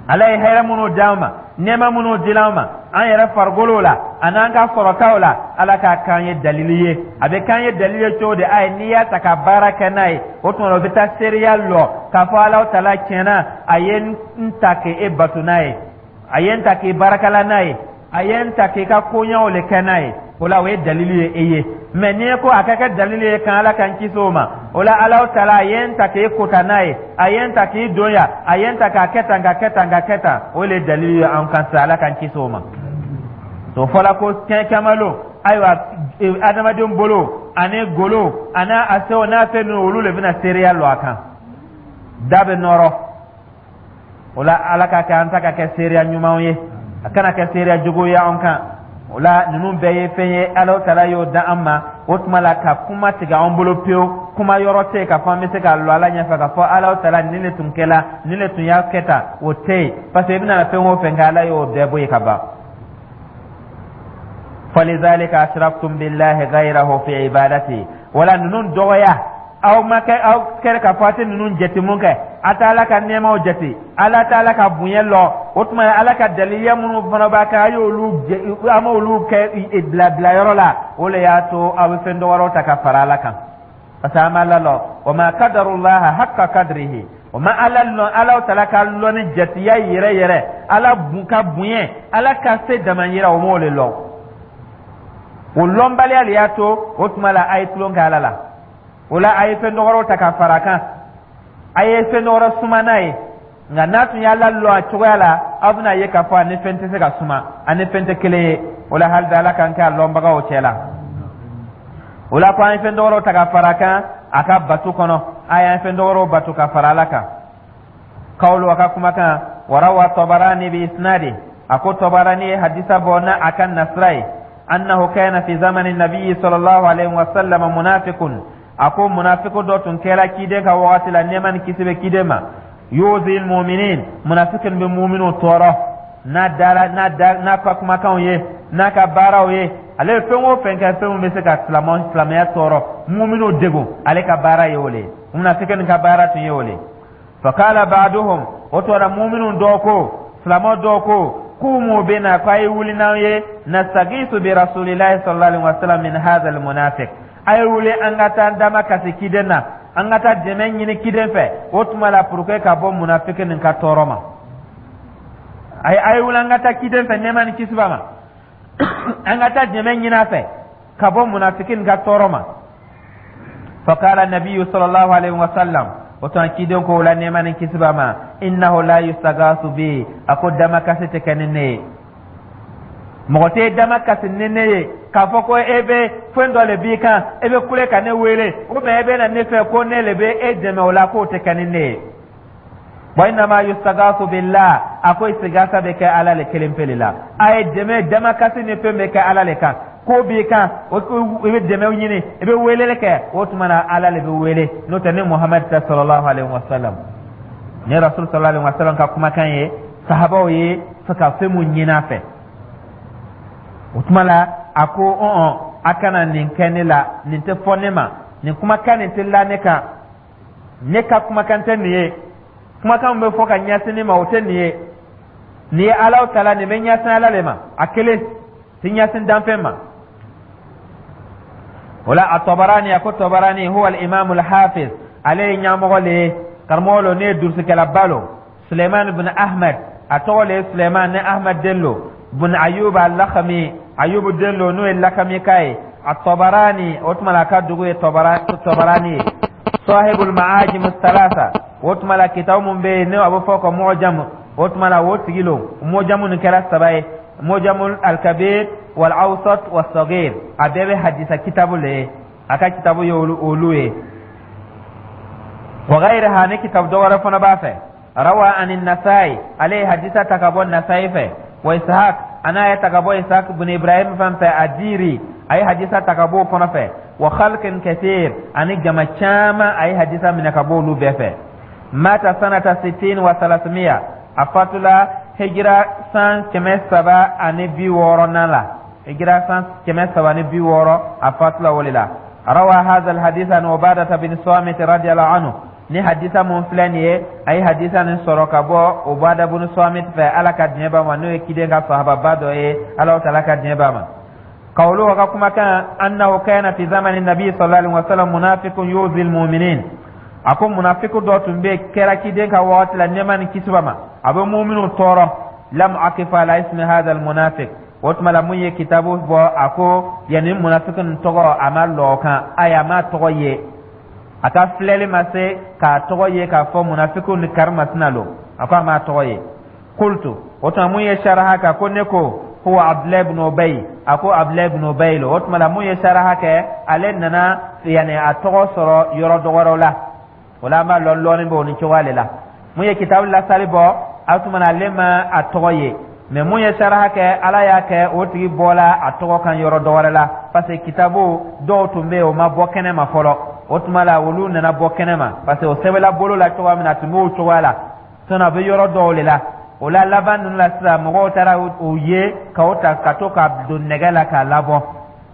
Ala ye hɛrɛ minnu d'an ma, nɛɛma minnu dila an ma an yɛrɛ farikolo la an'an ka sɔrɔtaw la, Ala k'a k'an ye dalili ye. A bɛ k'an ye dalili ye cogo di? A ye n'i y'a ta ka baara kɛ n'a ye, o tuma o bɛ taa seereya lɔ k'a fɔ Ala taala tiɲɛna, a ye n ta k'e bato n'a ye, a ye n ta k'i baarakɛla n'a ye, a ye n ta k'i ka koɲɛw le kɛ n'a ye. O la, o ye dalilu ye e ye. Mɛ n'i ko a ka kɛ dalilu ye kan, Ala k'an kisi o ma. O la, Ala taala a ye n ta k'e kota n'a ye, a ye n ta k'i don yan, a ye n ta k'a kɛ tan, ka kɛ tan, ka kɛ tan, o le ye dalilu ye an kan sisan. Ala k'an kisi o ma. O fɔla ko kiyama lon, ayiwa, adamaden bolo ani golo ani a sew n'a fɛn ninnu, olu le bɛna seereya lɔ a kan. Da bɛ nɔrɔ o la. Ala ka kɛ an ta ka kɛ seereya ɲumanw ye, a kana kɛ seereya jugu ye an kan. O la, ninnu bɛɛ ye fɛn ye Ala taala y'o da an ma. O tuma la, ka kuma tigɛ an bolo pewu, kuma yɔrɔ tɛ yen k'a fɔ an bɛ se k'a lɔ Ala ɲɛfɛ k'a fɔ Ala taala nin de tun kɛla, nin de tun y'a kɛ tan, o tɛ yen, parce que i bɛna fɛn o fɛn kɛ, Ala y'o bɛɛ bɔ yen ka ban. Falizalika ashraktum billahi ghayrahu fi ibadati. Wala ninnu dɔgɔya aw ma kɛ, aw kɛra k'a fɔ a tɛ ninnu jate mun kɛ, a tɛ Ala ka nɛɛmaw jate, Ala tɛ Ala ka bonya lɔ. O tuma, Ala ka daliya minnu fana b'a kan, a y'olu, an m'olu kɛ bila bilayɔrɔ la. O le y'a to aw bɛ fɛn dɔ wɛrɛw ta ka fara Ala kan, parce que an b'a la lɔ. Wa ma qadarullaha haqqa qadrihi. O ma Ala lɔn, Ala taala ka lɔn ni jatiya yɛrɛ yɛrɛ, Ala bun ka bonya, Ala ka se damayira, o m'o le lɔn. O lɔnbaliya le y'a to o tuma la a ye tulon kɛ Ala la. O la, a ye fɛn dɔ wɛrɛw ta ka fara a kan, a ye fɛn dɔ wɛrɛ suma n'a ye. Nka n'a tun y'Ala lɔn a cogoya la, aw bɛna ye k'a fɔ a ni fɛn tɛ se ka suma, a ni fɛn tɛ kelen ye. O la, hali bi Ala k'an kɛ a lɔnbagaw cɛ la. O la ko an ye fɛn dɔ wɛrɛw ta ka fara a kan a ka bato kɔnɔ, a y'an fɛn dɔ wɛrɛw bato ka fara Ala kan. Kawulu, a ka kumakan, warawa Tɔbarani bi isnadi, a ko Tɔbarani ye hadisa bɔ n'a a ka nasira ye, annahu kana fi zamani nabiyyi sallallahu alaihi wa sallam munafiqun. A ko munafiku dɔ tun kɛra ciden ka wagati la, nɛɛma ni kisi bɛ ciden ma. Yuzil muminin, munafikin bɛ muminu tɔɔrɔ n'a dara n'a da n'a ka kumakanw ye, n'a ka baaraw ye. Ale ye fɛn o fɛn kɛ, fɛn min bɛ se ka silamɛ silamɛya tɔɔrɔ, muminu degun, ale ka baara ye o le ye. Munafikin ka baara tun ye o le ye. Fakala ba'duhum, o tuma muminu dɔw ko, silamɛ dɔw ko, kumu bina, ko a ye wuli n'an ye, nastagisu bi rasulillahi sallallahu alaihi wasallam min hadha almunafiq. A ye wuli an ka taa dama kasi ciden na, an ka taa dɛmɛ ɲini ciden fɛ o tuma la, pour que ka bɔ munafiki nin ka tɔɔrɔ ma. A ye wuli an ka taa ciden fɛ, nɛɛma ni kisi b'a ma, an ka taa dɛmɛ ɲini a fɛ ka bɔ munafiki nin ka tɔɔrɔ ma. Fakala nabiyu sallallahu alaihi wasallam, o tuma ciden ko o la, nɛɛma ni kisi b'a ma, innahu la yustagasu bi. A ko damakasi tɛ kɛ ni ne ye, mɔgɔ tɛ dama kasi ni ne ye k'a fɔ ko e bɛ fɛn dɔ le b'i kan, e bɛ kule ka ne wele, ou bien e bɛ na ne fɛ ko ne le bɛ e dɛmɛ o la, k'o tɛ kɛ ni ne ye. Wa innama yustagasu billah, a ko istigasa bɛ kɛ Ala le kelen pe le la. A ye dɛmɛ, damakasi ni fɛn bɛ kɛ Ala le kan. Ko b'i kan, o i bɛ dɛmɛ ɲini, i bɛ weleli kɛ, o tuma na Ala le bɛ wele, n'o tɛ ni Muhamadu tɛ sallallahu alaihi wa sallam. Ni Rasul sallallahu alaihi wa sallam ka kumakan ye, sahabaw ye fɛ ka fɛn mun ɲini a fɛ o tuma la, a ko ɔn, a kana nin kɛ ne la, nin tɛ fɔ ne ma, nin kumakan nin tɛ la ne kan, ne ka kumakan tɛ nin ye. Kumakan bɛ fɔ ka ɲɛsin ne ma, o tɛ nin ye. Nin ye Ala ta la, nin bɛ ɲɛsin Ala le ma, a kelen tɛ ɲɛsin danfɛn ma. O la, a Tɔbarani, a ko Tɔbarani huwa al-imam al-hafiz, ale ye ɲɛmɔgɔ le ye, karamɔgɔ lo, ne ye durusikɛlaba lo. Suleiman bin Ahmed, a tɔgɔ le ye Suleiman ni Ahmed den lo, bin Ayub al-Lakhmi, Ayub den lo, n'o ye Lakami ka ye. A Tɔbarani, o tuma la a ka dugu ye Tɔbarani ye. Sahibul ma'ajim thalatha, o tuma la kitabu mun bɛ yen n'o a bɛ fɔ ko mu'jam, o tuma la o tigi lo. Mu'jamu nin kɛra saba ye: mu'jamu al-kabir wal awsat was saghir. A bɛɛ bɛ hadisa kitabu le ye, a ka kitabu ye olu ye. Wa ghayriha, ni kitabu dɔ wɛrɛ fana b'a fɛ. Rawa ani Nasai, ale ye hadisa ta ka bɔ Nasai fɛ. Wa Ishaq, an'a ye ta ka bɔ Ishaq bin Ibrahim fan fɛ Adiri, a ye hadisa ta ka bɔ o fana fɛ. Wa khalqin kathir, ani jama caman, a ye hadisa minɛ ka bɔ olu bɛɛ fɛ. Mata sanata sitin wa salasimiya, a fatula hijira san 360nan la, hijira san 360, a fatula o le la. Rawa hadha alhadith an Ubadata bin Samit radiyallahu anhu. Ni hadisa mun filɛ nin ye, a ye hadisa nin sɔrɔ ka bɔ Ubada bin Samit fɛ, Ala ka diɲɛ b'a ma, n'o ye kiden ka sahababa dɔ ye, Ala taala ka diɲɛ b'a ma. Kawulu, ka kumakan, annahu kana fi zamani nabi sallallahu alaihi wasallam munafiqun yuzi almu'minin. A ko munafiku dɔ tun bɛ kɛra kiden ka wagati la, nɛɛma ni kisi b'a ma, a bɛ mu'minu tɔɔrɔ. Lam akif ala ismi hadha almunafiq. O tuma la, mun ye kitabu bɔ, a ko yanni munafiki nin tɔgɔ, a ma lɔ o kan. Ayi, a ma tɔgɔ ye, a ka filɛli ma se k'a tɔgɔ ye k'a fɔ munafikiw ni karimasina lo. A ko a m'a tɔgɔ ye. Kultu, o tuma mun ye saraha kɛ, ko ne ko huwa Abdulayi ibn Ubay. A ko Abdulayi ibn Ubay lo. O tuma la, mun ye saraha kɛ, ale nana yanni a tɔgɔ sɔrɔ yɔrɔ dɔ wɛrɛw la. O la, an b'a lɔn lɔɔni b'o ni cogoya de la. Mun ye kitabu lasali bɔ, a tuma na ale ma a tɔgɔ ye, mɛ mun ye saraha kɛ, Ala y'a kɛ o tigi bɔla a tɔgɔ kan yɔrɔ dɔ wɛrɛ la, parce que kitabu dɔw tun bɛ yen, o ma bɔ kɛnɛ ma fɔlɔ. O tuma la, olu nana bɔ kɛnɛ ma, parce que o sɛbɛnla bolo la cogoya min na, a tun b'o cogoya la. Sinon a bɛ yɔrɔ dɔw de la. O la, laban ninnu la sisan, mɔgɔw taara o ye k'o ta ka to ka don nɛgɛ la k'a labɔ.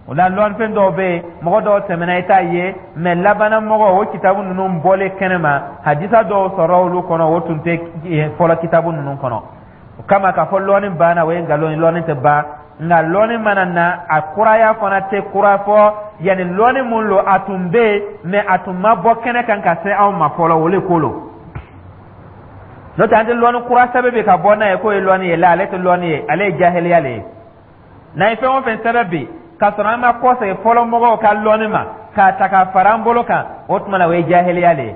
O la, lɔnfɛn dɔw bɛ yen, mɔgɔ dɔw tɛmɛna, i t'a ye, mɛ labanna mɔgɔ o kitabu ninnu bɔlen kɛnɛ ma, hadisa dɔw sɔrɔ olu kɔnɔ, o tun tɛ fɔlɔ kitabu ninnu kɔnɔ. O kama, k'a fɔ lɔnni banna, o ye nkalon ye. Lɔnni tɛ ban, nka lɔnni mana na, a kuraya fana tɛ kura fɔ. Yanni lɔnni mun lo, a tun bɛ yen, mɛ a tun ma bɔ kɛnɛ kan ka se anw ma fɔlɔ, o le ko lo. N'o tɛ, an tɛ lɔnni kura sɛbɛn bi ka bɔ n'a ye k'o ye lɔnni ye la. Ale tɛ lɔnni ye, ale ye jahiliya le ye. N'an ye fɛn o fɛn sɛbɛn bi k'a sɔrɔ an ma kɔsegin fɔlɔ mɔgɔw ka lɔnni ma k'a ta k'a fara an bolo kan, o tuma na, o ye jahiliya le ye.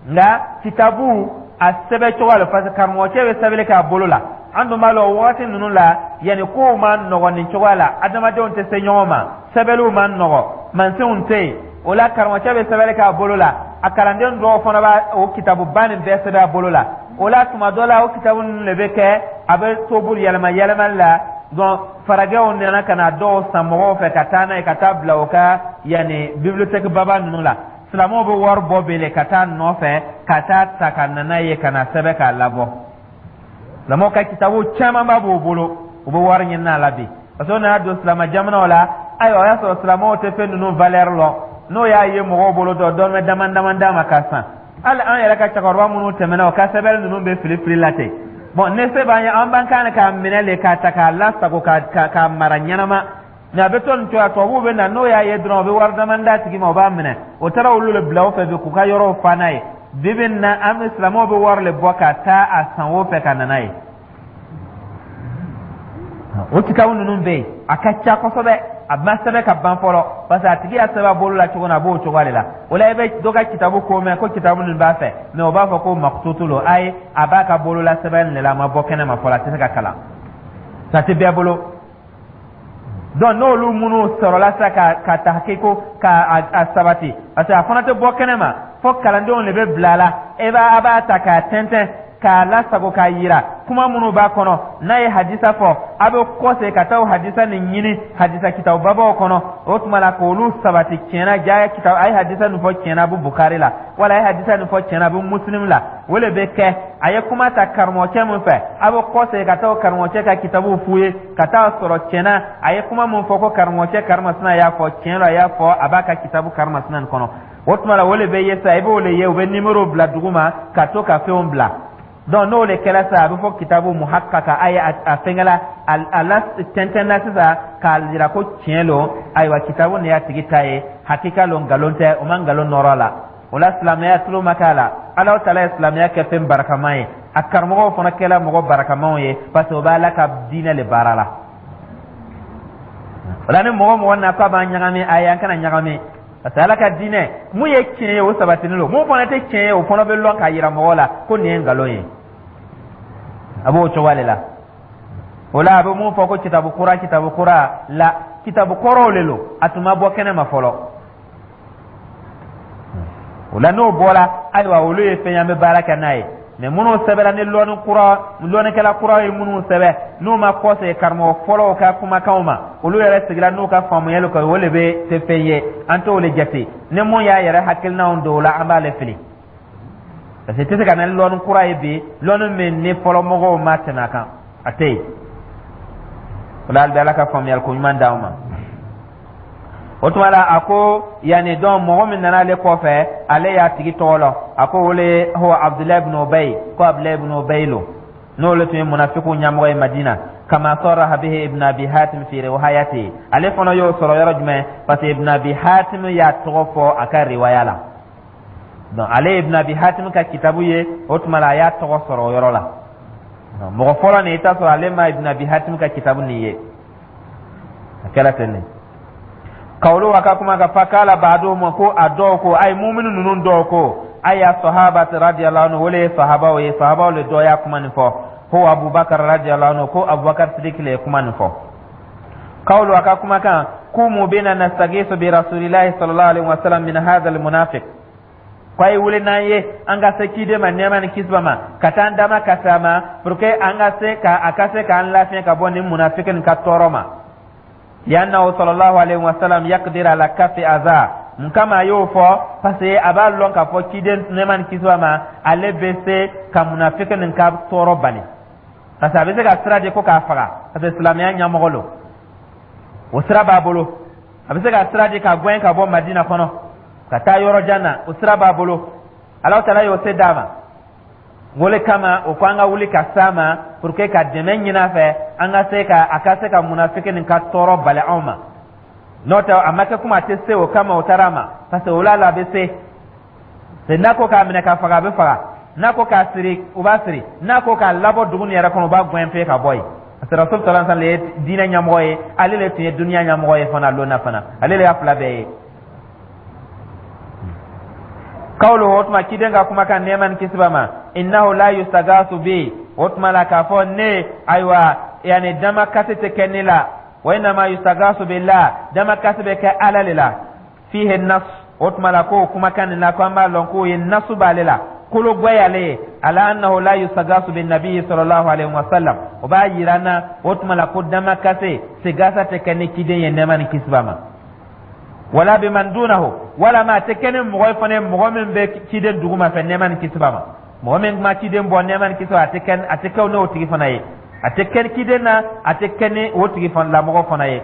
Nka kitabu a sɛbɛn cogo la, parce que karamɔgɔcɛ bɛ sɛbɛnni kɛ a bolo la. An dun b'a lɔn, wagati ninnu la, yanni kow ma nɔgɔ nin cogoya la, adamadenw tɛ se ɲɔgɔn ma, sɛbɛnniw ma nɔgɔ, mansinw tɛ yen. O la, karamɔgɔcɛ bɛ sɛbɛnni kɛ a bolo la, a kalanden dɔw fana b'a o kitabuba nin bɛɛ sɛbɛn a bolo la. O la, tuma dɔ la, o kitabu ninnu de bɛ kɛ, a bɛ toburu yɛlɛma yɛlɛmali la. Donc farajɛw nana ka na dɔw san mɔgɔw fɛ ka taa n'a ye ka taa bila o ka yanni bibliothèque baba ninnu la. Silamɛw bɛ wari bɔ bele ka taa nɔfɛ ka taa ta ka na n'a ye ka na sɛbɛn k'a labɔ. Silamɛw ka kitabu camanba b'o bolo, u bɛ wari ɲini a la bi, parce que o nana don silamɛ jamanaw la. Ayiwa, o y'a sɔrɔ silamɛw tɛ fɛn ninnu valeur lɔn. N'o y'a ye mɔgɔw bolo, dɔ dɔrɔmɛ dama dama d'a ma ka san. Hali an yɛrɛ ka cɛkɔrɔba minnu tɛmɛna, o ka sɛbɛnni ninnu bɛ fili fili la ten. Bɔn, ne se b'an ye, an b'an kan k'a minɛ le, k'a ta k'a lasago, k'a mara ɲɛnama. Nka a bɛ to nin cogoya, tubabuw bɛ na, n'o y'a ye dɔrɔn, o bɛ wari dama d'a tigi ma, o b'a minɛ. O taara olu le bila o fɛ bi k'u ka yɔrɔw fa n'a ye. Bi bi in na, an bɛ silamɛw bɛ wari le bɔ ka taa a san o fɛ ka na n'a ye. O kitabu ninnu bɛ yen, a ka ca kosɛbɛ. A ma sɛbɛn ka ban fɔlɔ, parce que a tigi y'a sɛbɛn a bolo la cogo min na, a b'o cogoya de la. O la, i bɛ dɔ ka kitabu ko mɛn ko kitabu ninnu b'a fɛ, mɛ o b'a fɔ ko makututu lo. Ayi, a b'a ka bolola sɛbɛn de la, a ma bɔ kɛnɛ ma fɔlɔ, a tɛ se ka kalan, a tɛ bɛɛ bolo. Donc n'olu minnu sɔrɔla sisan ka tahakiko ka a sabati, parce que a fana tɛ bɔ kɛnɛ ma fɔ kalandenw de bɛ bila a la. E b'a a b'a ta k'a tɛntɛn k'a lasago k'a yira kuma minnu b'a kɔnɔ. N'a ye hadisa fɔ, a bɛ kɔse ka taa o hadisa nin ɲini hadisa kitabu babaw kɔnɔ. O tuma la, k'olu sabati tiɲɛna, ja kitabu a ye hadisa nin fɔ tiɲɛna, a bɛ Bukari la, wala a ye hadisa nin fɔ tiɲɛna, a bɛ Muslim la. O de bɛ kɛ. A ye kuma ta karamɔgɔcɛ min fɛ, a bɛ kɔse ka taa o karamɔgɔcɛ ka kitabuw f'u ye ka taa sɔrɔ tiɲɛna a ye kuma min fɔ ko karamɔgɔcɛ karimasina y'a fɔ tiɲɛ la, a y'a fɔ, a b'a ka kitabu karimasina nin kɔnɔ. O tuma la, o de bɛ ye sa, i b'o de ye, u bɛ nimero bila dugu ma ka to ka fɛnw bila. Donc n'o de kɛra sisan, a bɛ fɔ kitabu muhakkaka. A ye a fɛnkɛla a la tɛntɛnna sisan k'a jira ko tiɲɛ lo. Ayiwa, kitabu nin y'a tigi ta ye, hakika lo, nkalon tɛ, o ma nkalon nɔrɔ a la. O la, silamɛya tulo ma k'a la. Ala taala ye silamɛya kɛ fɛn barikama ye, a karamɔgɔw fana kɛla mɔgɔ barikamaw ye, parce que o bɛ Ala ka diinɛ le baara la. O la, ni mɔgɔ mɔgɔ na k'a b'an ɲagami, ayi, an kana ɲagami, parce que Ala ka diinɛ mun ye tiɲɛ ye, o sabatinen don. Mun fana tɛ tiɲɛ ye, o fana bɛ lɔn k'a yira mɔgɔw la ko nin ye nkalon ye. A b'o cogoya de la. O la, a bɛ mun fɔ ko kitabu kura, kitabu kura la, kitabu kɔrɔw le lo, a tun ma bɔ kɛnɛ ma fɔlɔ. O la, n'o bɔra, ayiwa, olu ye fɛn ye an bɛ baara kɛ n'a ye. Mɛ minnu sɛbɛnna ni lɔnni kura, lɔnnikɛla kura ye minnu sɛbɛn, n'u ma kɔsegin karamɔgɔ fɔlɔw ka kumakanw ma, olu yɛrɛ sigira n'u ka faamuyali kan, o de bɛ tɛ fɛn ye, an t'o le jate. Ni mun y'a yɛrɛ hakilinaw don o la, an b'ale fili, parce que i tɛ se ka na ni lɔnni kura ye bi, lɔnni min ni fɔlɔ mɔgɔw ma tɛmɛ a kan, a tɛ yen. O la, hali bi, Ala ka faamuyali ko ɲuman d'anw ma. O tuma la, a ko yanni dɔn mɔgɔ min nana ale kɔfɛ, ale y'a tigi tɔgɔ lɔn. A ko o le huwa Abdulayi ibn Ubay, ko Abdulayi ibn Ubay lo, n'olu tun ye munafikiw ɲɛmɔgɔ ye Madina. Kama saraha bihi Ibn Abi Hatim fi riwayati. Ale fana y'o sɔrɔ yɔrɔ jumɛn? Parce que Ibn Abi Hatim y'a tɔgɔ fɔ a ka riwaya la. Donc ale ye Ibn Abi Hatim ka kitabu ye, o tuma la, a y'a tɔgɔ sɔrɔ o yɔrɔ la. Mɔgɔ fɔlɔ nin, i t'a sɔrɔ ale ma Ibn Abi Hatim ka kitabu nin ye. A kɛra ten de. Kawulu a ka kuma ka fakala ba'duhum, ko a dɔw ko, ay muminu ninnu dɔw ko, ay sahabati radiyallahu anhu, wole ye sahabaw ye, sahabaw le dɔ y'a kuma nin fɔ, ko Abubakar radiyallahu anhu, ko Abubakar Sidiki le ye kuma nin fɔ. Kawulu a ka kumakan: kumu bina nastagisu bi rasulillahi sallallahu alaihi wasallam min hadha almunafiq, ko a ye wuli n'an ye, an ka se ciden ma, nɛɛma ni kisi b'a ma, ka taa an dama ka se a ma, pour que an ka se ka a ka se k'an lafiɲɛ ka bɔ nin munafiki nin ka tɔɔrɔ ma. Liannahu sallallahu alaihi wasallam yaqdir ala kafi aza. Mun kama a y'o fɔ? Parce que a b'a lɔn k'a fɔ ciden, nɛɛma ni kisi b'a ma, ale bɛ se ka munafiki nin ka tɔɔrɔ bali, parce que a bɛ se ka sira di ko k'a faga, parce que silamɛya ɲɛmɔgɔ lo, o sira b'a bolo. A bɛ se ka sira di ka gɛn ka bɔ Madina kɔnɔ ka taa yɔrɔ jan na, o sira b'a bolo. Alahu Taala y'o se d'a ma. O le kama o ko an ka wuli ka s'a ma pour que ka dɛmɛ ɲini a fɛ, an ka se ka a ka se ka munafiki nin ka tɔɔrɔ bali anw ma. N'o tɛ, a ma kɛ komi a tɛ se. O kama o taara a ma, parce que o la a bɛ se. N'a ko k'a minɛ ka faga, a bɛ faga. N'a ko k'a siri, u b'a siri. N'a ko k'a labɔ dugu nin yɛrɛ kɔnɔ, u b'a gɛn pe ka bɔ yen, parce que Rasul sallallahu alaihi wasallam ye diinɛ ɲɛmɔgɔ ye, ale le tun ye duniya ɲɛmɔgɔ ye fana lon na fana, ale le y'a fila bɛɛ ye. Kawlu, o tuma ciden ka kumakan, nɛɛma ni kisi b'a ma, innahu la yustagasu bi, o tuma la k'a fɔ ne, ayiwa, yani damakasi tɛ kɛ ne la, wa innama yustagasu billah, damakasi bɛ kɛ Ala le la. Fihi nas, o tuma la k'o kumakan nin na, ko an b'a lɔn k'o ye nasu b'ale la, kolo gwɛyale ye, ala annahu la yustagasu bin nabiyyi sallallahu alaihi wasallam. O b'a yira an na, o tuma la, ko damakase sigasa tɛ kɛ ni ciden ye, nɛɛma ni kisi b'a ma, wala biman dunahu, wala ma a tɛ kɛ ni mɔgɔ ye fana, mɔgɔ min bɛ ciden duguma fɛ, nɛɛma ni kisi b'a ma. Mɔgɔ min kuma ciden bɔ, nɛɛma ni kisi, a tɛ kɛ n'o tigi fana ye. A tɛ kɛ ciden na, a tɛ kɛ ni o tigi fana lamɔgɔ fana ye.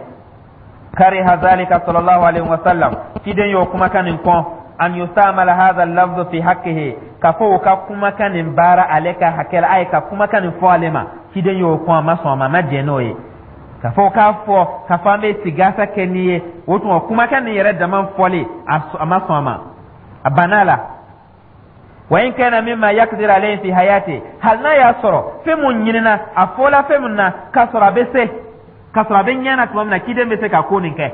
Kariha zalika sallallahu alaihi wasallam, ciden y'o kumakan nin kɔn, an yustamala hadha lafzu fi haqqihi, ka fɔ o ka kumakan nin baara ale ka hakɛ la, a ye ka kumakan nin fɔ ale ma. Ciden y'o kɔn, a ma sɔn a ma, a ma jɛn n'o ye ka fɔ k'a fɔ ka fɔ an bɛ sigasa kɛ n'i ye. O tuma kumakan nin yɛrɛ dama fɔli, a ma sɔn a ma, a banna la. Wa in kana mimma yaqdir alayhi fi hayati, hali n'a y'a sɔrɔ fɛn mun ɲinina, a fɔla fɛn mun na, k'a sɔrɔ a bɛ se, k'a sɔrɔ a bɛ ɲɛ na tuma min na, ciden bɛ se ka ko nin kɛ,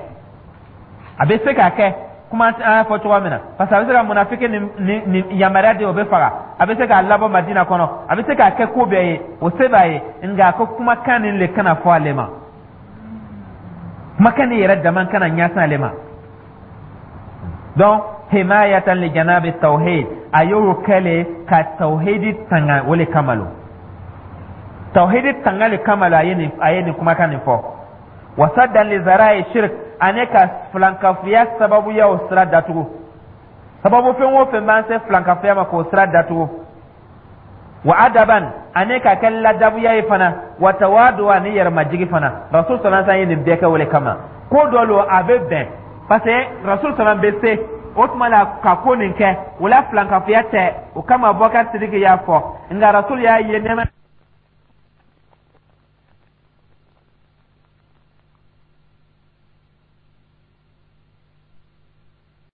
a bɛ se k'a kɛ. Kuma an y'a fɔ cogoya min na, parce que a bɛ se ka munafiki ni yamaruya di, o bɛ faga. A bɛ se k'a labɔ Madina kɔnɔ, a bɛ se k'a kɛ ko bɛɛ ye, o se b'a ye. Nka a ko kumakan nin le kana fɔ ale ma, kumakan nin yɛrɛ dama kana ɲɛsin ale ma. Donc himayatan li janabi tawhid, a y'o kɛle ka tawhidi tanga, o le kama lo, tawhidi tanga le kama lo, a ye nin kumakan nin fɔ. Wasaddan li zara'i shirk, ani ka filankafoya sababuyaw sira datugu, sababu fɛn o fɛn b'an se filankafoya ma, k'o sira datugu. Wa adaban, ani ka kɛ ladabuya ye fana, wa tawadu, ani yɛrɛmajigi fana. Rasul sallallahu alaihi wasallam ye nin bɛɛ kɛ o le kama. Ko dɔ lo a bɛ bɛn, parce que Rasul sallallahu bɛ se o tuma la ka ko nin kɛ, o la filankafoya tɛ. O kama Abubakar Sidiki y'a fɔ, nka Rasul y'a ye nɛɛma